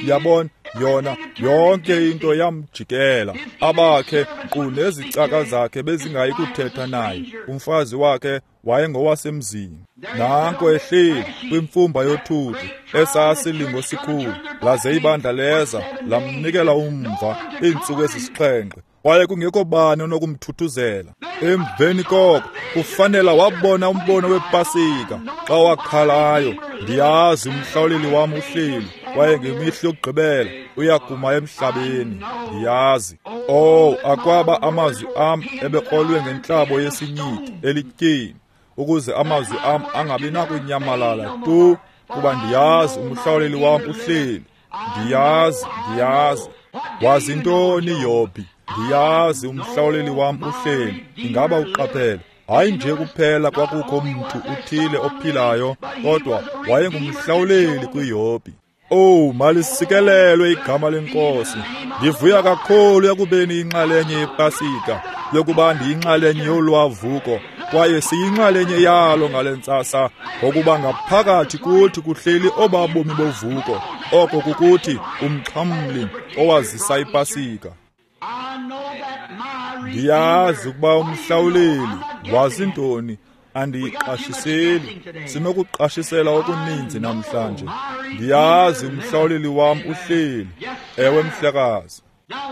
Yabona, yona yonke into yamjikela. Abakhe nkqu nezicaka zakhe bezingayi kuthetha naye. Umfazi wakhe wayengowasemzini. Nanko ehleli kwimfumba yothuthu, esasilingo sikhulu, laze ibandla leza lamnikela umva iintsuku ezisixhenxe. Kwaye kungekho bani onokumthuthuzela. Emveni koko kufanela wabona umbono wePasika xa wakhalayo, ndiyazi umhlawuleli wam uhleli, kwaye ngemihla yokugqibela uyakuma emhlabeni, ndiyazi. Akwaba amazwi am ebekrolwe ngentlabo yesinyithi elityeni, ukuze amazwi am angabi nakunyamalala tu, kuba ndiyazi umhlawuleli wam uhleli. Ndiyazi, ndiyazi. Wazi ntoni Yobhi? Ndiyazi umhlawuleli wam uhleli. Ingaba uqaphele? Hayi nje kuphela kwakukho mntu uthile ophilayo, kodwa wayengumhlawuleli kuYobhi. Malisikelelwe igama leNkosi. Ndivuya kakhulu ekubeni inxalenye yePasika, yokuba ndiyinxalenye yolwavuko, kwaye siyinxalenye yalo ngale ntsasa, ngokuba ngaphakathi kuthi kuhleli obabomi bovuko, oko kukuthi umxhamli owazisa iPasika. Ndiyazi ukuba umhlawuleli wazi ntoni, andiyiqashiseli. Sinokuqashisela okuninzi namhlanje. Ndiyazi umhlawuleli wam uhleli. Ewe, mhlekazi.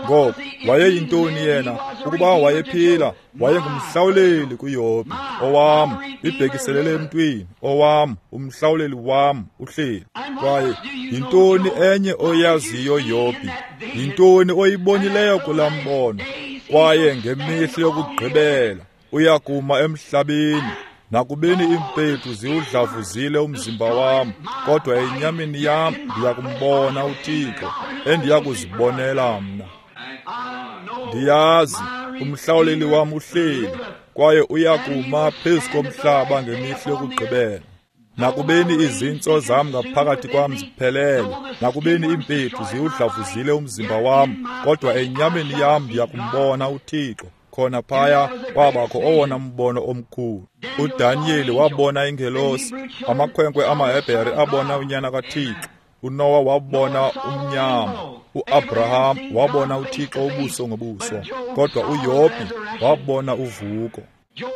Ngoko wayeyintoni yena? Ukuba wayephila, wayengumhlawuleli kuYobhi. Owam, ibhekiselele emntwini, owam, umhlawuleli wam uhleli. Kwaye yintoni enye oyaziyo Yobhi? Yintoni oyibonileyo kulaa mbono? Kwaye ngemihla yokugqibela uyakuma emhlabeni. Nakubeni iimpethu ziwudlavuzile umzimba wam, kodwa enyameni yam ndiyakumbona uThixo, endiyakuzibonela mna. Ndiyazi umhlawuleli wam uhleli, kwaye uyakuma phezu komhlaba ngemihla yokugqibela. Nakubeni izintso zam ngaphakathi kwam ziphelele, nakubeni iimpethu ziwudlavuzile umzimba wam, kodwa enyameni yam ndiyakumbona uThixo. Khona phaya kwabakho owona mbono omkhulu. UDaniyeli wabona ingelosi, amakhwenkwe amaHebhere abona unyana kaThixo, uNowa wabona umnyama, uAbraham wabona uThixo ubuso ngobuso, kodwa uYobhi wabona uvuko.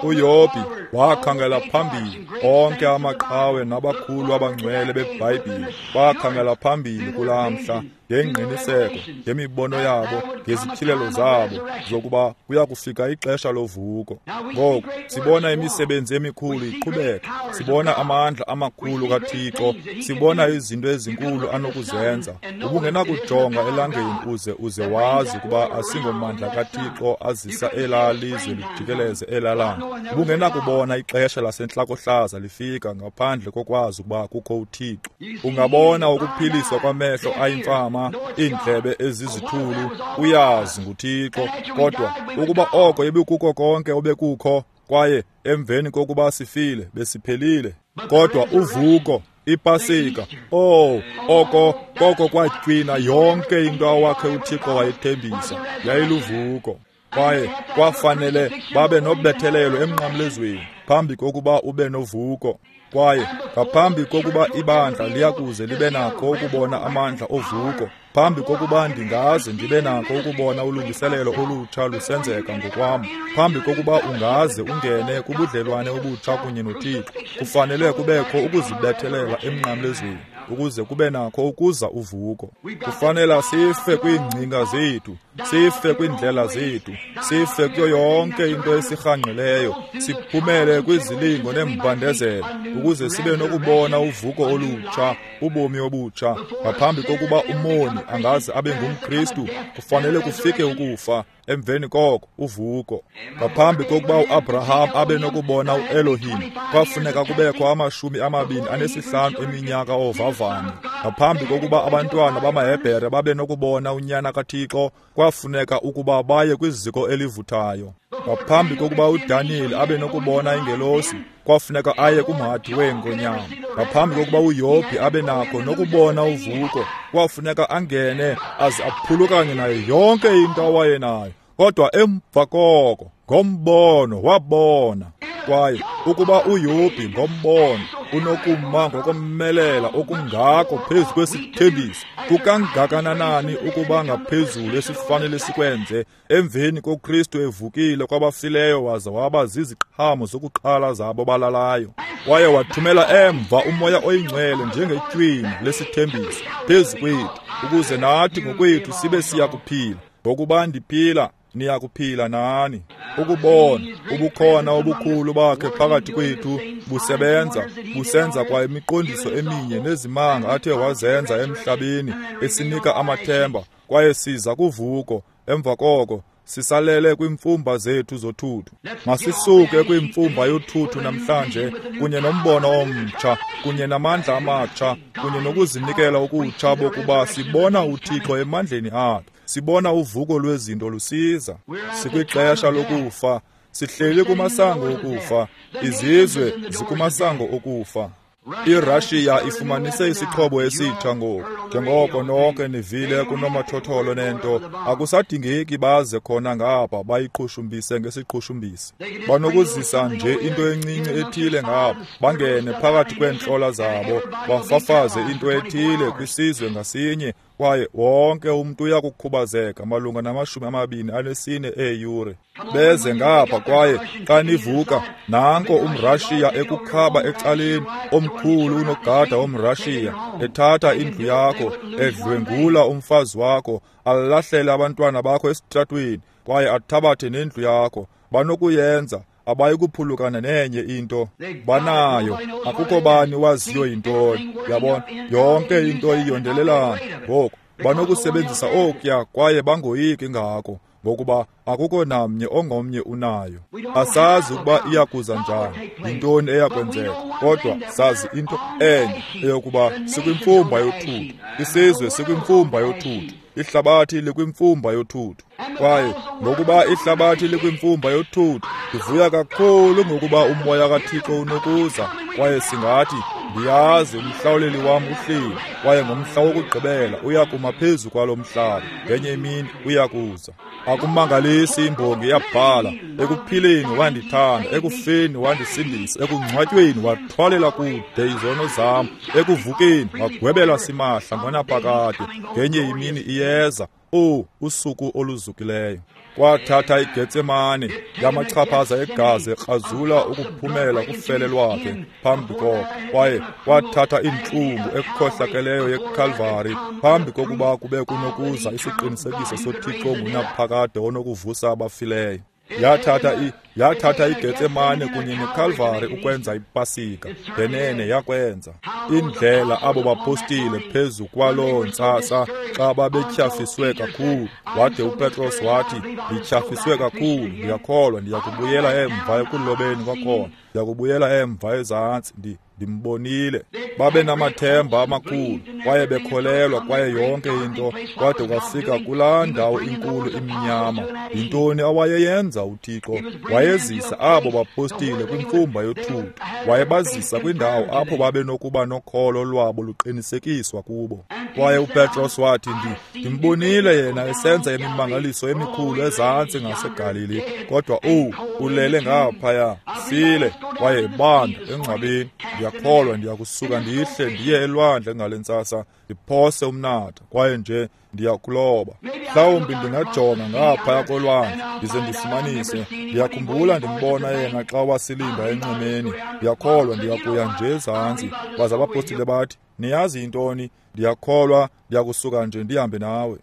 uYobhi wakhangela phambili. Onke amaqhawe nabakhulu abangcwele beBhayibhile bakhangela phambili kulaa mhla ngengqiniseko, ngemibono yabo, ngezityhilelo zabo zokuba kuya kufika ixesha lovuko. Ngoku sibona imisebenzi emikhulu iqhubeka, sibona amandla amakhulu kaThixo, sibona izinto ezinkulu anokuzenza. Ubungenakujonga elangeni uze wazi ukuba asingomandla kaThixo azisa elaa lizwe lijikeleze elaa langa. Ubungenakubona ixesha lasentlakohlaza lifika ngaphandle kokwazi ukuba kukho uThixo. Ungabona ukuphiliswa kwamehlo ayimfama, iindlebe ezizithulu, uyazi nguThixo. Kodwa ukuba oko ibikuko konke obekukho, kwaye emveni kokuba sifile besiphelile. Kodwa uvuko, iPasika, oko koko kwatywina yonke into awakhe uThixo wayethembisa, yayiluvuko. Kwaye kwafanele babe nobethelelo emnqamlezweni phambi kokuba ube novuko. Kwaye ngaphambi kokuba ibandla liyakuze libe nakho ukubona amandla ovuko, phambi kokuba ndingaze ndibe nakho ukubona ulungiselelo olutsha lusenzeka ngokwam, phambi kokuba ungaze ungene kubudlelwane obutsha kunye noThixo, kufanele kubekho ukuzibethelela emnqamlezweni ukuze kube nakho ukuza uvuko. Kufanele sife kwiingcinga zethu, sife kwiindlela zethu, sife kuyo yonke into esirhangqileyo, siphumele kwizilingo neembandezelo ukuze sibe nokubona uvuko olutsha, ubomi obutsha. Ngaphambi kokuba umoni angaze abe ngumKristu, kufanele kufike ukufa, emveni koko uvuko. Ngaphambi kokuba uAbraham abe nokubona uElohim, kwafuneka kubekho 25 eminyaka ovavanyo. Ngaphambi kokuba abantwana bamaHebhere babe nokubona unyana kaThixo, kwafuneka ukuba baye kwiziko elivuthayo. Ngaphambi kokuba uDaniyeli abe nokubona ingelosi, kwafuneka aye kumhadi weengonyama. Ngaphambi kokuba uYobhi abe nakho nokubona uvuko, kwafuneka angene aze aphulukane nayo yonke into awayenayo. Kodwa emva koko, ngombono wabona. Kwaye ukuba uYobhi ngombono unokuma ngokomelela okungako phezu kwesithembiso, kukangakanani ukuba ngaphezulu esifanele sikwenze emveni koKristu evukile kwabafileyo waza waba ziziqhamo zokuqala zabo balalayo. Kwaye wathumela emva uMoya oyiNgcwele njengetywina lesithembiso phezu kwethu, ukuze nathi ngokwethu sibe siyakuphila. Ngokuba ndiphila, niyakuphila nani. Ukubona ubukhona obukhulu bakhe phakathi kwethu busebenza, busenza kwa imiqondiso eminye nezimanga athe wazenza emhlabeni, esinika amathemba. Kwaye siza kuvuko emva koko sisalele kwiimfumba zethu zothuthu. Masisuke kwimfumba yothuthu namhlanje kunye nombono omtsha, kunye namandla amatsha, kunye nokuzinikela okutsha bokuba sibona uThixo emandleni akhe, sibona uvuko lwezinto lusiza. Sikwixesha lokufa, sihleli kumasango okufa, izizwe zikumasango okufa. IRussia ifumanise isixhobo esitsha ngoku, njengoko nonke nivile kunomathotholo nento. Akusadingeki baze khona ngapha bayiqhushumbise ngesiqhushumbisi. Banokuzisa nje into encinci ethile ngapha, bangene phakathi kweentlola zabo, bafafaze into ethile kwisizwe ngasinye, kwaye wonke umntu uyakukhubazeka malunga na-24 eeyure. Beze ngapha, kwaye xa nivuka, nanko umRashiya ekukhaba ecaleni, omkhulu unogada womRashiya, ethatha indlu yakho, edlwengula umfazi wakho, alahlele abantwana bakho esitratweni, kwaye athabathe nendlu yakho. Banokuyenza, abayikuphulukana nenye into banayo. Akukho bani waziyo yintoni. Yabona, yonke into iyondelelana. Ngoku banokusebenzisa okuya kwaye bangoyiki ngako, ngokuba akukho namnye ongomnye unayo. Asazi ukuba iyakuza njani, yintoni eyakwenzeka, kodwa sazi into enye, eyokuba sikwimfumba yothuthu. Isizwe sikwimfumba yothuthu, ihlabathi likwimfumba yothuthu. Kwaye ngokuba ihlabathi likwimfumba yothuthu, ndivuya kakhulu ngokuba uMoya kaThixo unokuza, kwaye singathi, Ndiyazi umhlawuleli wam uhleli, kwaye ngomhla wokugqibela uyakuma phezu kwalo mhlaba. Ngenye imini uyakuza. Akumangalisi imbongi yabhala, ekuphileni wandithanda, ekufeni wandisindisa, ekungcwatyweni wathwalela kude izono zam, ekuvukeni wagwebela simahla ngonaphakade. Ngenye imini iyeza, usuku oluzukileyo. Kwathatha iGetsemane yamachaphaza egazi ekrazula ukuphumela kufele lwakhe phambi koko, kwaye kwathatha intlungu ekhohlakeleyo yeKalvari phambi kokuba kube kunokuza isiqinisekiso soThixo ongunaphakade onokuvusa abafileyo. Yathatha iGetsemane kunye neKalvari ukwenza iPasika. Ngenene yakwenza. Indlela abo bapostile phezu kwaloo ntsasa xa babetyhafiswe kakhulu, wade uPetros wathi, ndityhafiswe kakhulu, ndiyakholwa ndiyakubuyela emva ekulobeni kwakhona, ndiyakubuyela emva ezantsi, ndimbonile. Babe namathemba amakhulu, kwaye bekholelwa, kwaye yonke into, kwade kwafika kulaa ndawo inkulu imnyama. Yintoni awayeyenza uThixo? Wayezisa abo bapostile kwimfumba yothuthu. Wayebazisa kwindawo apho babenokuba nokholo lwabo luqinisekiswa kubo. Kwaye uPetros wathi, ndimbonile yena esenza imimangaliso emikhulu ezantsi ngaseGalili, kodwa ulele ngaphaya, file, kwaye ebanda engcwabeni. Ndiyakholwa ndiyakusuka ndihle ndiye elwandle ngale ntsasa, ndiphose umnatha, kwaye nje ndiyakuloba. Mhlawumbi ndingajonga ngaphaya kolwandle ndize ndifumanise. Ndiyakhumbula ndimbona yena xa wasilinda enxwemeni. Ndiyakholwa ndiyakuya nje ezantsi. Baze abapostile bathi, niyazi yintoni? Ndiyakholwa ndiyakusuka nje ndihambe nawe.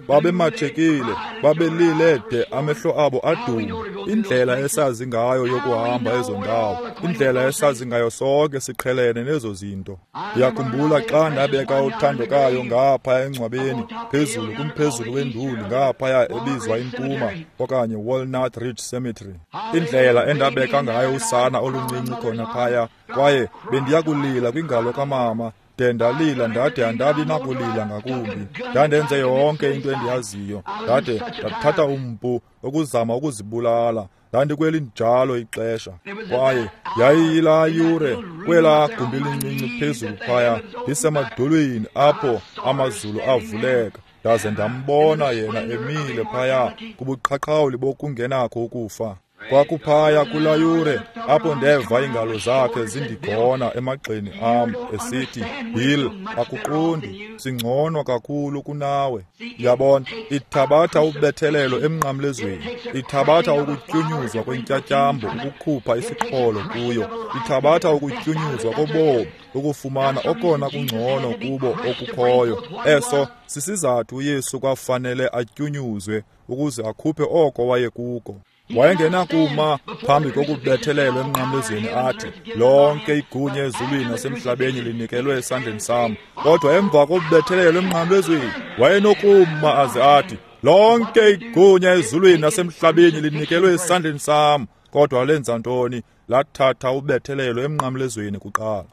Babemathekile, babelile de amehlo abo aduma. Indlela esazi ngayo yokuhamba ezo ndawo, indlela esazi ngayo sonke siqhelene nezo zinto. Ndiyakhumbula xa ndabeka uthandokayo ngaphaya engcwabeni, phezulu kumphezulu wenduli ngaphaya ebizwa iMpuma okanye Walnut Ridge Cemetery. Indlela endabeka ngayo usana oluncinci khona phaya, kwaye bendiyakulila kwingalo kamama. De ndalila ndade andabi nakulila ngakumbi. Ndandenze yonke into endiyaziyo. Ndade ndathatha umpu ukuzama ukuzibulala. Ndandikwelinjalo ixesha. Kwaye yayiyilaa yure kwelaa gumbi lincinci phezulu phaya, ndisemadolweni apho amazulu avuleka. Ndaze ndambona yena emile phaya kubuqhaqhawuli bokungenakho ukufa. Kwakuphaya kulaa yure apho ndeva iingalo zakhe zindigona emagxeni am esithi, Bill, akuqondi, singcono kakhulu kunawe. Yabona, ithabatha ubethelelo emnqamlezweni, ithabatha ukutyunyuzwa kwentyatyambo ukukhupha isiqholo kuyo, ithabatha ukutyunyuzwa kobomi ukufumana okona kungcono kubo okukhoyo. Eso sisizathu uYesu kwafanele atyunyuzwe ukuze akhuphe oko wayekuko. Wayengenakuma phambi kokubethelelwa emnqamlezweni athi, lonke igunya ezulwini nasemhlabeni linikelwe esandleni sam. Kodwa emva kokubethelelwa emnqamlezweni wayenokuma aze athi, lonke igunya ezulwini nasemhlabeni linikelwe esandleni sam. Kodwa lenza ntoni? Lathatha ubethelelo emnqamlezweni kuqala.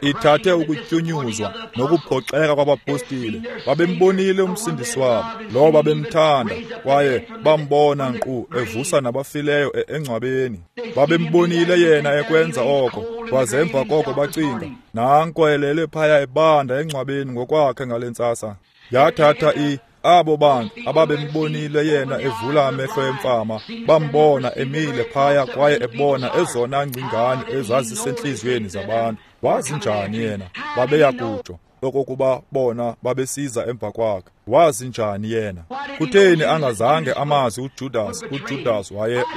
Ithathe ukutyunyuzwa nokuphoxeka kwabapostile. Babembonile umsindisi wabo, lowo babemthanda, kwaye bambona nkqu evusa nabafileyo engcwabeni. Babembonile yena ekwenza oko, kwaze emva koko bacinga, nanko elele phaya ebanda engcwabeni ngokwakhe ngale ntsasa. Yathatha abo bantu ababembonile yena evula amehlo emfama, bambona emile phaya kwaye ebona ezona ngcingane ezazisentliziyweni zabantu. Wazi njani yena? Babeya kutsho okokuba bona babesiza emva kwakhe. Wazi njani yena? Kutheni angazange amazi uJudas? uJudas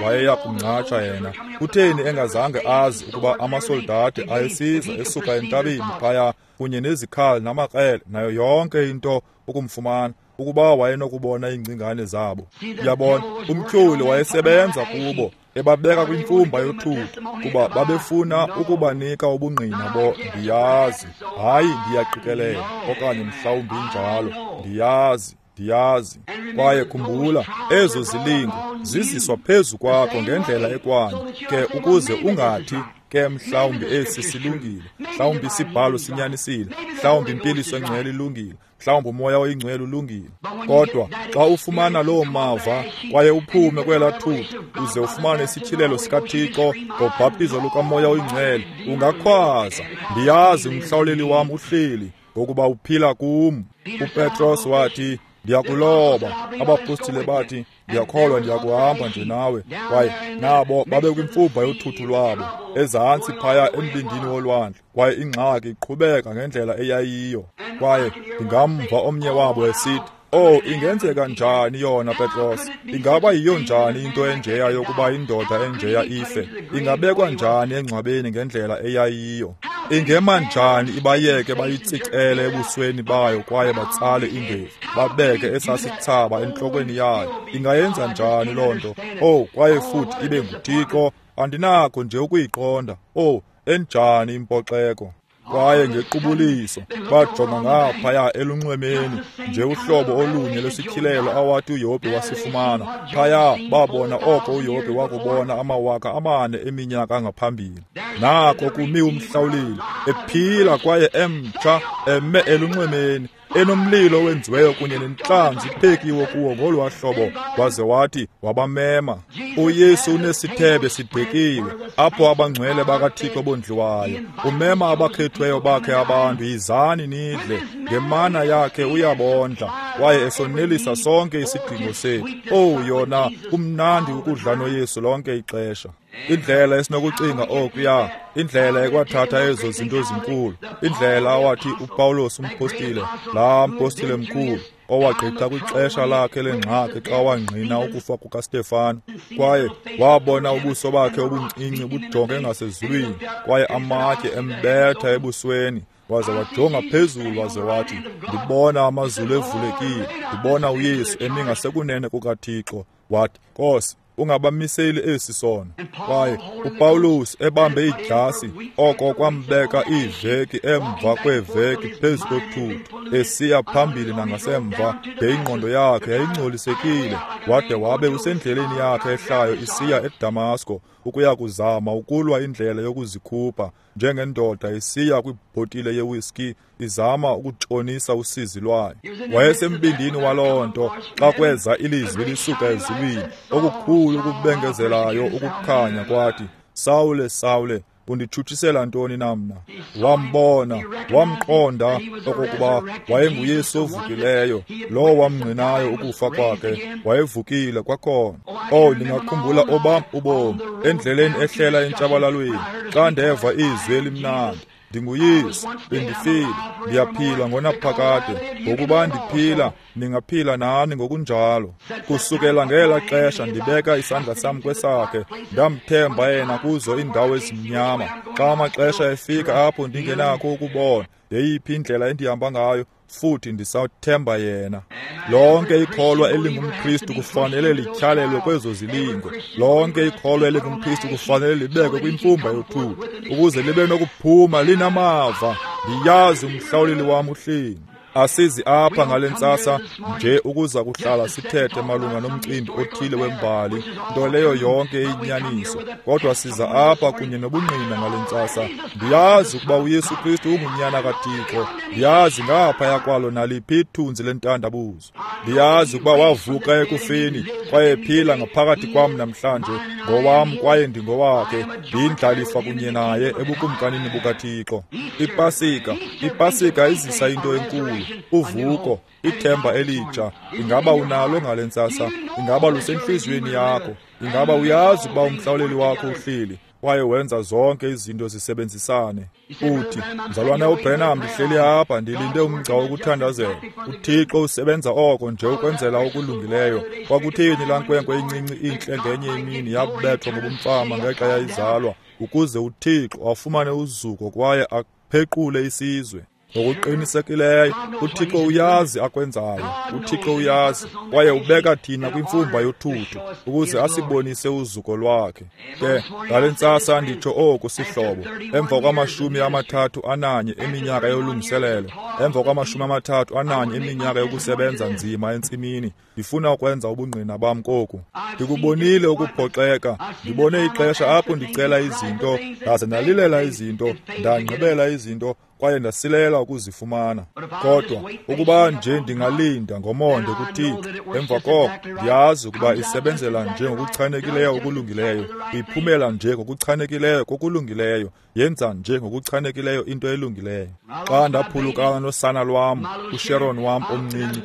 wayeya kumngcatsha yena. Kutheni engazange azi ukuba amasoldati ayesiza esuka entabeni phaya kunye nezikhali namakrele nayo yonke into ukumfumana, ukuba wayenokubona iingcingane zabo? Yabona, umtyholi wayesebenza kubo, ebabeka kwimfumba yothuthu, kuba babefuna ukubanika ubungqina bo ndiyazi, hayi ndiyaqikelela, okanye mhlawumbi njalo, ndiyazi. Kwaye khumbula, ezo zilingo ziziswa phezu kwakho ngendlela ekwanye, ke ukuze ungathi Ke mhlawumbi esi silungile, mhlawumbi isibhalo sinyanisile, mhlawumbi impiliso engcwele ilungile, mhlawumbi umoya oyingcwele ulungile. Kodwa xa ufumana loo mava kwaye uphume kwelaa thuthu uze ufumane isityhilelo sikaThixo ngobhaptizo lukamoya oyingcwele, ungakhwaza, ndiyazi umhlawuleli wam uhleli, ngokuba uphila kum. UPetros wathi, ndiyakuloba. Abapostile bathi, ndiyakholwa ndiyakuhamba nje nawe. Kwaye nabo babe kwimfumba yothuthu lwabo ezantsi phaya embindini wolwandle, kwaye ingxaki iqhubeka ngendlela eyayiyo. Kwaye ndingamva omnye wabo esithi, oh, ingenzeka njani yona, Petros? Ingaba yiyo njani into enjeya yokuba indoda enjeya ife? Ingabekwa njani engcwabeni ngendlela eyayiyo? Ingema njani ibayeke bayitsicele ebusweni bayo kwaye batsale indevu, babeke esasithsaba entlokweni yayo? Ingayenza njani loo nto? Oh, kwaye futhi ibe nguThixo. Andinakho nje ukuyiqonda. Oh, enjani impoxeko! Kwaye ngequbuliso bajonga ngaphaya elunxwemeni, nje uhlobo olunye lwesityhilelo awathi uYobhi wasifumana. Phaya babona oko uYobhi wakubona 4,000 eminyaka ngaphambili. Nako kumi umhlawuleli, ephila kwaye emtsha, eme elunxwemeni, enomlilo owenziweyo kunye nentlanzi iphekiwe kuwo ngolwaa hlobo, waze wathi wabamema. UYesu unesithebe sidekiwe apho abangcwele bakaThixo bondliwayo. Umema abakhethiweyo bakhe abantu, yizani nidle. Ngemana yakhe uyabondla kwaye esonelisa sonke isidingo sethu. Owu, yona kumnandi ukudla noYesu lonke ixesha. Indlela esinokucinga okuya, indlela ekwathatha ezo zinto zinkulu, indlela awathi uPawulos umpostile, laa mpostile mkhulu, owagqitha kwixesha lakhe lengxaki xa wangqina ukufa kukaStefano, kwaye wabona ubuso bakhe obuncinci bujonge ngasezulwini, kwaye amatye embetha ebusweni, waze wajonga phezulu waze wathi, ndibona amazulu evulekile, ndibona uYesu emi ngasekunene kukaThixo. Wathi, Nkosi, ungabamiseli esi sono. Kwaye uPawulos ebambe idyasi, oko kwambeka iiveki emva kweeveki phezu kothuthu, esiya phambili nangasemva, de ingqondo yakhe yayingcolisekile, wade wabe usendleleni yakhe ehlayo isiya eDamasko ukuya kuzama ukulwa indlela yokuzikhupha, njengendoda isiya kwibhotile yewiski izama ukutshonisa usizi lwayo. Wayesembindini waloo nto xa kweza ilizwi lisuka ezulwini, okukhulu ukubengezelayo ukukhanya, kwathi, Sawule, Sawule, unditshutshisela ntoni na mna? Wambona, wamqonda okokuba wayenguYesu ovukileyo, lowo wamngqinayo ukufa kwakhe, wayevukile kwakhona. Oh, ndingakhumbula obam ubomi endleleni ehlela entshabalalweni, xa ndeva izwi elimnandi, ndinguYesu, bendifile, ndiyaphila ngonaphakade, ngokuba ndiphila, ningaphila nani ngokunjalo. Kusukela ngela xesha ndibeka isandla sam kwesakhe, ndamthemba yena kuzo iindawo ezimnyama. Xa amaxesha efika apho ndingenakho ukubona yeyiphi indlela endihamba ngayo, futhi ndisathemba yena. Lonke ikholwa elingumKristu kufanele lityhalelwe kwezo zilingo. Lonke ikholwa elingumKristu kufanele libekwe kwimfumba yothuthu ukuze libe nokuphuma linamava. Ndiyazi umhlawuleli wam uhleli. Asizi apha ngale ntsasa nje ukuza kuhlala sithethe malunga nomcimbi othile wembali, nto leyo yonke iyinyaniso, kodwa siza apha kunye nobungqina ngale ntsasa. Ndiyazi ukuba uYesu Kristu ungunyana kaThixo. Ndiyazi ngaphaya kwalo naliphi ithunzi lentandabuzo. Ndiyazi ukuba wavuka ekufeni kwaye ephila ngaphakathi kwam namhlanje. Ngowam kwaye ndingowakhe, ndiyindlalifa kunye naye ebukumkanini bukaThixo. IPasika izisa into enkulu, uvuko, ithemba elitsha. Ingaba unalo ngale ntsasa? Ingaba lusentliziyweni yakho? Ingaba uyazi ukuba umhlawuleli wakho uhleli kwaye wenza zonke izinto zisebenzisane? Uthi, mzalwana uBrenham, ndihleli apha ndilinde umgca wokuthandazela. uThixo usebenza oko nje ukwenzela okulungileyo. Kwakutheni laa nkwenkwe incinci intle ngenye imini yabethwa ngobumfama ngexa yayizalwa, ukuze uThixo afumane uzuko kwaye aphequle isizwe? Ngokuqinisekileyo, uThixo uyazi akwenzayo. UThixo uyazi, kwaye ubeka thina kwimfumba yothuthu ukuze asibonise uzuko lwakhe. Ke ngale ntsasa nditsho oku, sihlobo, emva kwa-31 eminyaka yolungiselelo, emva kwa-31 eminyaka yokusebenza nzima entsimini, ndifuna ukwenza ubungqina bam koku. Ndikubonile ukuphoxeka, ndibone ixesha apho ndicela izinto, ndaze ndalilela izinto, ndangqibela izinto, kwaye ndasilela ukuzifumana. Kodwa ukuba nje ndingalinda ngomonde kuThixo, emva koko ndiyazi ukuba isebenzela nje ngokuchanekileyo okulungileyo, iphumela nje ngokuchanekileyo kokulungileyo, yenza nje ngokuchanekileyo into elungileyo. Xa ndaphulukana nosana lwam, uSharon wam omncinci,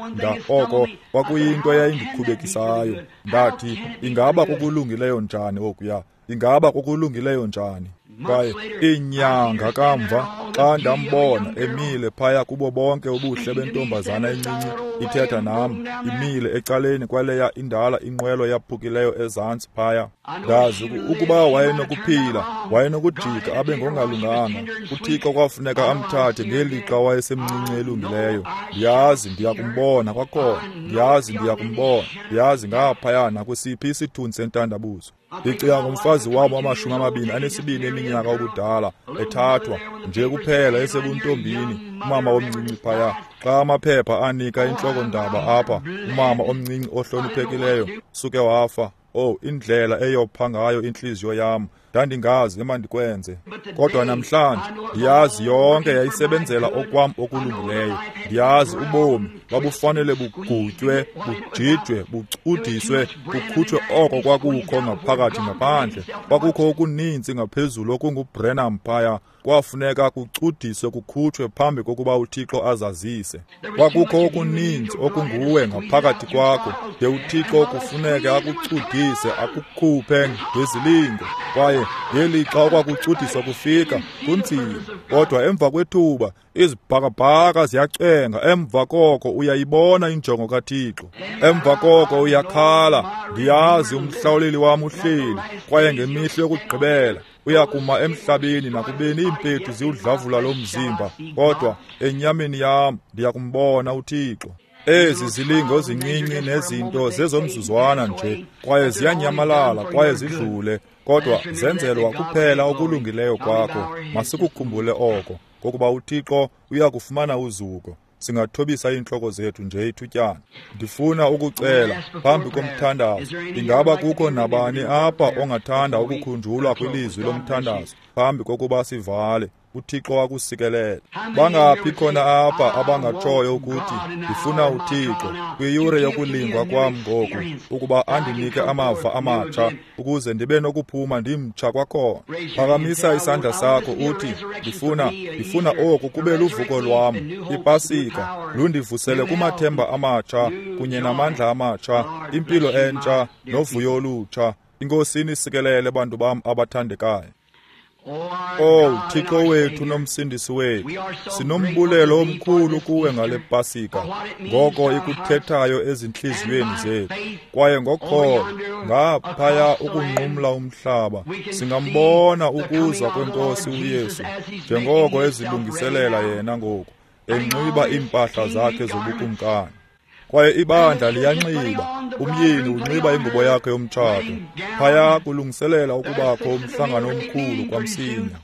oko kwakuyinto eyayindikhubekisayo. Ndathi, ingaba kokulungileyo njani okuya? Ingaba kokulungileyo njani? Kwaye iinyanga kamva, xa ndambona emile phaya kubo bonke ubuhle bentombazana encinci ithetha nam, imile ecaleni kwaleya indala inqwelo yaphukileyo ezantsi phaya, ndazi ukuba wayenokuphila, wayenokujika abe ngongalunganga. UThixo kwafuneka amthathe ngelixa wayesemncinci elungileyo. Ndiyazi ndiyakumbona kwakhona, ndiyazi ndiyakumbona, ndiyazi ngaphaya nakwesiphi isithunzi sentandabuzo. Ndicinga ngomfazi wam wama-22 eminyaka ubudala, ethathwa nje kuphela esebuntombini, umama omncinci phaya. Xa amaphepha anika intloko-ndaba apha, umama omncinci ohloniphekileyo suke wafa. Oh, indlela eyopha ngayo intliziyo yam. Ndandingazi emandikwenze. Kodwa namhlanje ndiyazi yonke yayisebenzela okwam okulungileyo. Ndiyazi ubomi babufanele bugutywe, bujijwe, bucudiswe, bukhutshwe oko kwakukho ngaphakathi ngaphandle. Kwakukho okuninzi ngaphezulu okunguBrenham phaya. Kwafuneka kucudiswe kukhutshwe phambi kokuba uThixo azazise. Kwakukho okuninzi okunguwe ngaphakathi kwakho, de uThixo kufuneke akucudise, akukhuphe ngezilingo. Kwaye ngelixa okwakucudiswa kufika, kunzima. Kodwa emva kwethuba, izibhakabhaka ziyacenga. Emva koko uyayibona injongo kaThixo. Emva koko uyakhala, ndiyazi umhlawuleli wam uhleli, kwaye ngemihla yokugqibela uyakuma emhlabeni nakubeni iimpethu ziwudlavula lo mzimba, kodwa enyameni yam ndiyakumbona uThixo. Ezi zilingo zincinci nezinto zezomzuzwana nje, kwaye ziyanyamalala kwaye zidlule, kodwa zenzelwa kuphela okulungileyo kwakho. Masikukhumbule oko, ngokuba uThixo uyakufumana uzuko. Singathobisa iintloko zethu nje ithutyana. Ndifuna ukucela phambi komthandazo, ingaba kukho nabani apha ongathanda ukukhunjulwa kwilizwi lomthandazo phambi kokuba sivale? uThixo akusikelele. Bangaphi khona apha abangatshoyo ukuthi ndifuna uThixo kwiyure yokulingwa kwam ngoku, ukuba andinike amava amatsha ukuze ndibe nokuphuma ndimtsha kwakhona? Phakamisa isandla sakho uthi, ndifuna oku kube luvuko lwam, iPasika lundivusele kumathemba amatsha kunye namandla amatsha, impilo entsha novuyo olutsha. Inkosi inisikelele, bantu bam abathandekayo. Oh, Thixo wethu nomsindisi wethu, sinombulelo omkhulu kuwe ngale Pasika, ngoko ikuthethayo ezintliziyweni zethu. Kwaye ngokholo, ngaphaya ukunqumla umhlaba, singambona ukuza kweNkosi uYesu, njengoko ezilungiselela yena ngoku, enxiba iimpahla zakhe zobukumkani. Kwaye ibandla liyanxiba, umyeni unxiba ingubo yakhe yomtshato, phaya kulungiselela ukubakho umhlangano omkhulu kwamsinya.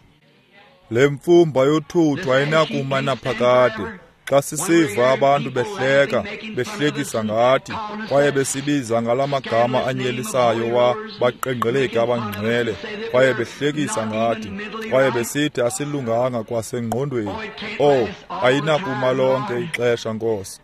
Le mfumba yothuthu ayinakuma naphakade. Xa sisiva abantu behleka, behlekisa ngathi, kwaye besibiza ngala magama anyelisayo wa baqengqeleki abangcwele, kwaye behlekisa ngathi, kwaye besithi asilunganga kwasengqondweni. Oh, ayinakuma lonke ixesha, Nkosi.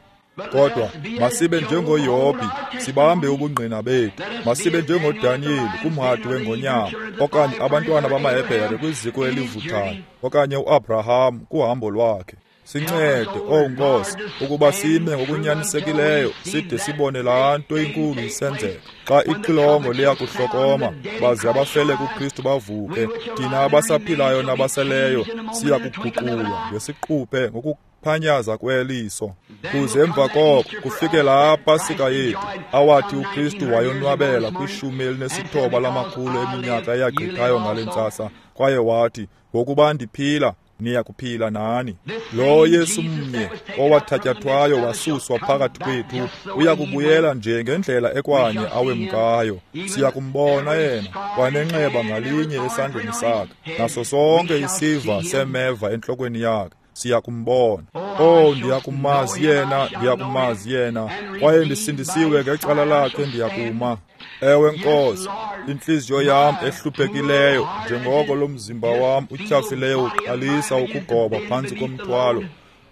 Kodwa masibe njengoYobhi, sibambe ubungqina bethu. Masibe njengoDaniyeli kumhadi wengonyama, okanye abantwana bamaHebhere kwiziko elivuthayo, okanye uAbraham kuhambo lwakhe. Sincede, oh Nkosi, ukuba sime ngokunyanisekileyo side sibone laa nto inkulu isenzeka. Xa ixilongo liyakuhlokoma, baze abafele kuKristu bavuke, thina abasaphilayo nabaseleyo siya kuguqulwa ngesiquphe ngokuphanyaza kweliso. Kuze emva koko kufike laa Pasika yethu, awathi uKristu wayonwabela kwi-19 lamakhulu eminyaka eyagqithayo ngale ntsasa, kwaye wathi, ngokuba ndiphila, Niya kuphila nani. Lo Yesu mnye owathatyathwayo wasuswa phakathi kwethu uya kubuyela nje ngendlela ekwanye awemkayo. Siya kumbona yena kwanenxeba ngalinye esandleni sakhe, naso sonke isiva semeva entlokweni yakhe. Siya kumbona. Oh, ndiyakumazi yena, ndiyakumazi yena, kwaye ndisindisiwe ngecala lakhe, ndiyakuma. Ewe Nkosi, intliziyo yam ehluphekileyo, njengoko lo mzimba wam utyhafileyo uqalisa ukugoba phantsi komthwalo,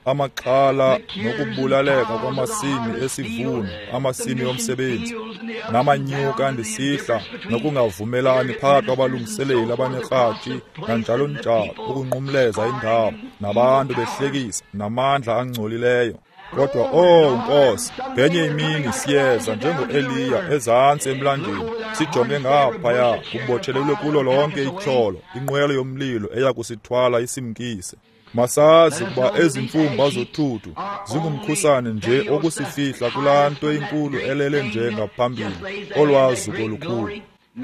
amaxhala nokubulaleka kwamasimi esivuno, amasimi omsebenzi, namanyuka ndisihla, nokungavumelani phakathi kwabalungiseleli abanekratshi, nanjalo njalo, ukunqumleza indawo, nabantu behlekisa, namandla angcolileyo. Kodwa, oh Nkosi, ngenye imini siyeza njengo-Eliya ezantsi emlanjeni, sijonge ngaphaya, kubotshelelwe kulo lonke ityholo, inqwelo yomlilo eya kusithwala isimkise. Masazi ukuba ezi mfumba zothuthu zingumkhusane nje okusifihla kulaa nto inkulu elele nje ngaphambili, olwazuko olukhulu.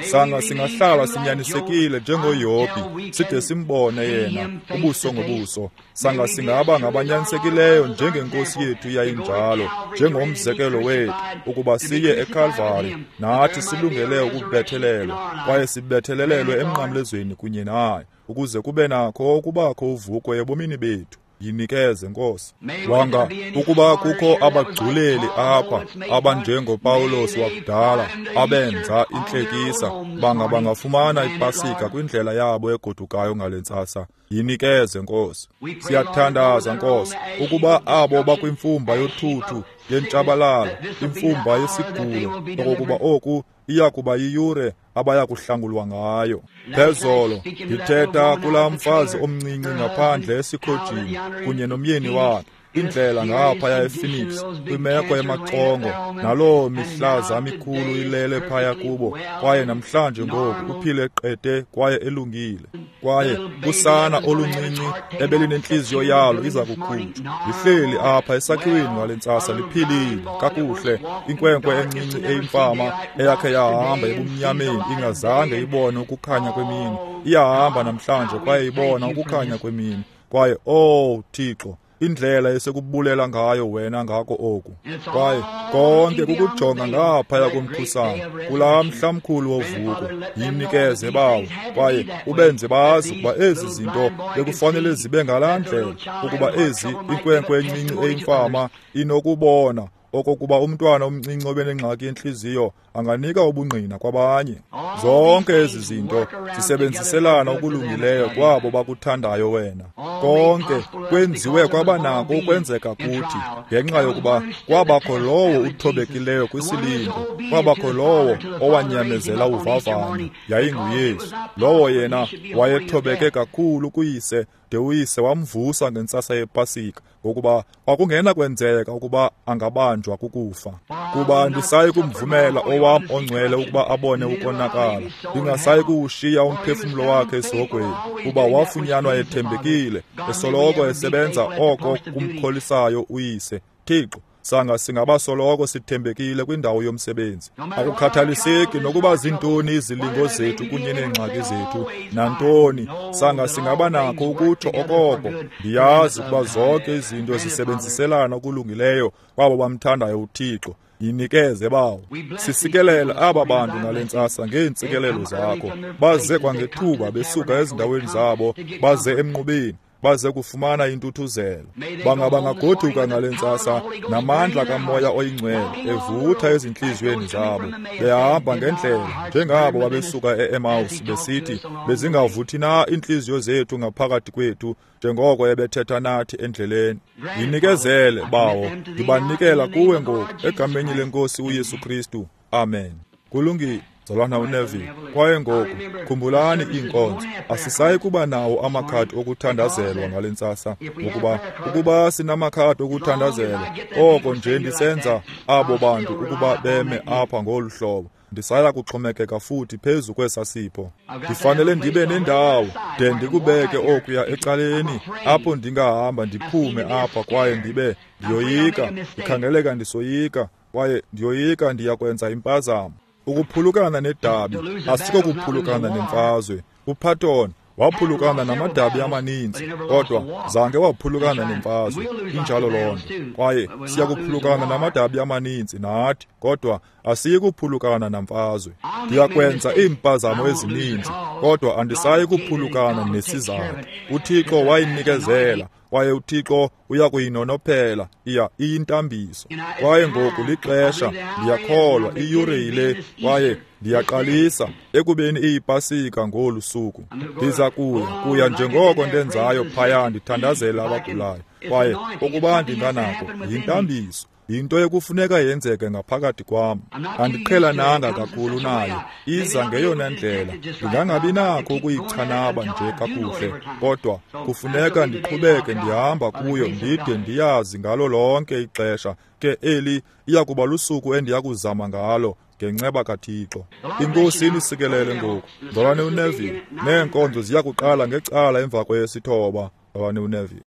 Sanga singahlala sinyanisekile njengoYobhi, side simbone yena ubuso ngobuso. Sanga singaba ngabanyanisekileyo njengenkosi yethu yayinjalo, njengomzekelo wethu, ukuba siye eKalvari nathi silungele ukubethelelwa, kwaye sibethelelelwe emnqamlezweni kunye naye, ukuze kube nakho ukubakho uvuko ebomini bethu. Yinikeze, Nkosi. Wanga ukuba kukho abagculeli apha abanjengoPawulos wakudala abenza intlekisa, banga bangafumana ipasika kwindlela yabo egodukayo ngale ntsasa. Yinikeze, Nkosi. Siyathandaza, Nkosi, ukuba abo bakwimfumba yothuthu yentshabalalo, imfumba yesigulo, okokuba oku iya kuba yiyure abaya kuhlangulwa ngayo. Phezolo ndithetha kulaa mfazi omncinci ngaphandle esikhojini kunye nomyeni wakhe, indlela ngaphaya ePhoenix, kwimeko emaxongo, naloo mihlaza mikhulu ilele phaya kubo, kwaye namhlanje ngoku uphile qete kwaye elungile. Kwaye usana oluncinci ebelinentliziyo yalo iza kukhutshwa, lihleli apha esakhiweni ngale ntsasa, liphilile kakuhle. Inkwenkwe encinci eyimfama eyakhe yahamba ebumnyameni ingazange ibone ukukhanya kwemini, iyahamba namhlanje kwaye ibona ukukhanya kwemini. Kwaye, oh Thixo, indlela esekubulela ngayo wena ngako oku. Kwaye konke kukujonga ngaphaya komkhusane kulaa mhla mkhulu wovuko. Yinikeze, Bawo, kwaye ubenze bazi ukuba ezi zinto bekufanele zibe ngalaa ndlela, ukuba ezi inkwenkwe encinci eyimfama inokubona okokuba umntwana omncinci obenengxaki yentliziyo anganika ubungqina kwabanye. Zonke ezi zinto zisebenziselana okulungileyo kwabo bakuthandayo wena. Konke kwenziwe kwabanako ukwenzeka kuthi, ngenxa yokuba kwabakho lowo uthobekileyo kwisilingo, kwabakho lowo owanyamezela uvavanyo, yayinguYesu. Lowo yena wayethobeke kakhulu kuyise, de uyise wamvusa ngentsasa yepasika, ngokuba kwakungena kwenzeka ukuba angabanjwa kukufa. Kuba andisayi kumvumela owam ongcwele ukuba abone ukonakala, ndingasayi kuwushiya umphefumlo wakhe esihogweni, kuba wafunyanwa ethembekile, esoloko esebenza oko kumkholisayo uyise. Thixo, sanga singabasoloko sithembekile kwindawo yomsebenzi. Akukhathaliseki nokuba zintoni izilingo zethu kunye neengxaki zethu, nantoni, sanga singaba nakho ukutsho okoko, ndiyazi ukuba zonke izinto zisebenziselana okulungileyo kwabo bamthandayo uThixo. Yinikeze, Bawo. Sisikelele aba bantu ngale ntsasa ngeentsikelelo zakho. Baze kwangethuba besuka ezindaweni zabo, baze emnqubeni, baze kufumana intuthuzelo. Banga bangagoduka ngale ntsasa namandla kaMoya oyiNgcwele evutha ezintliziyweni zabo, behamba ngendlela njengabo babesuka e-Emmaus besithi, bezingavuthi na iintliziyo zethu ngaphakathi kwethu njengoko ebethetha nathi endleleni. Yinikezele, Bawo, ndibanikela kuwe ngoku egameni lenkosi uYesu Kristu. Amen. Kulungile, mzalwana uNeville. Kwaye ngoku khumbulani iinkonzo, asisayi kuba nawo amakhadi okuthandazelwa ngale ntsasa, ngokuba ukuba sinamakhadi okuthandazelwa, oko nje ndisenza abo bantu ukuba beme apha ngolu hlobo, ndisaya kuxhomekeka futhi phezu kwesa sipho. Ndifanele ndibe nendawo de ndikubeke okuya ecaleni apho ndingahamba ndiphume apha, kwaye ndibe ndiyoyika, ndikhangeleka ndisoyika, kwaye ndiyoyika ndiya kwenza impazamo. Ukuphulukana nedabi asiko kuphulukana nemfazwe. UPatton Waphulukana namadabi amaninzi, kodwa zange waphulukana nemfazwe. Injalo loo nto. Kwaye siyakuphulukana namadabi amaninzi nathi, kodwa asiyi kuphulukana namfazwe. Ndiyakwenza iimpazamo ezininzi, kodwa andisayi kuphulukana nesizathu. UThixo wayinikezela, kwaye uThixo uyakuyinonophela, iya iyintambiso. Kwaye ngoku lixesha, ndiyakholwa, iyure yile, kwaye ndiyaqalisa ekubeni iyipasika ngolu suku. Ndiza kuya njengoko ndenzayo phaya, ndithandazela abagulayo. Kwaye ukuba ndinganako, yintambiso, yinto ekufuneka yenzeke ngaphakathi kwam. Andiqhelananga kakhulu nayo, iza ngeyona ndlela. Ndingangabi nakho ukuyichanaba nje kakuhle, kodwa kufuneka ndiqhubeke ndihamba kuyo ndide ndiyazi ngalo lonke ixesha. Ke eli iya kuba lusuku endiya kuzama ngalo ngenceba kaThixo. INkosi inisikelele ngoku. Mzalwane uNeville, neenkonzo ziya kuqala ngecala emva kweyesithoba. Mzalwane uNeville.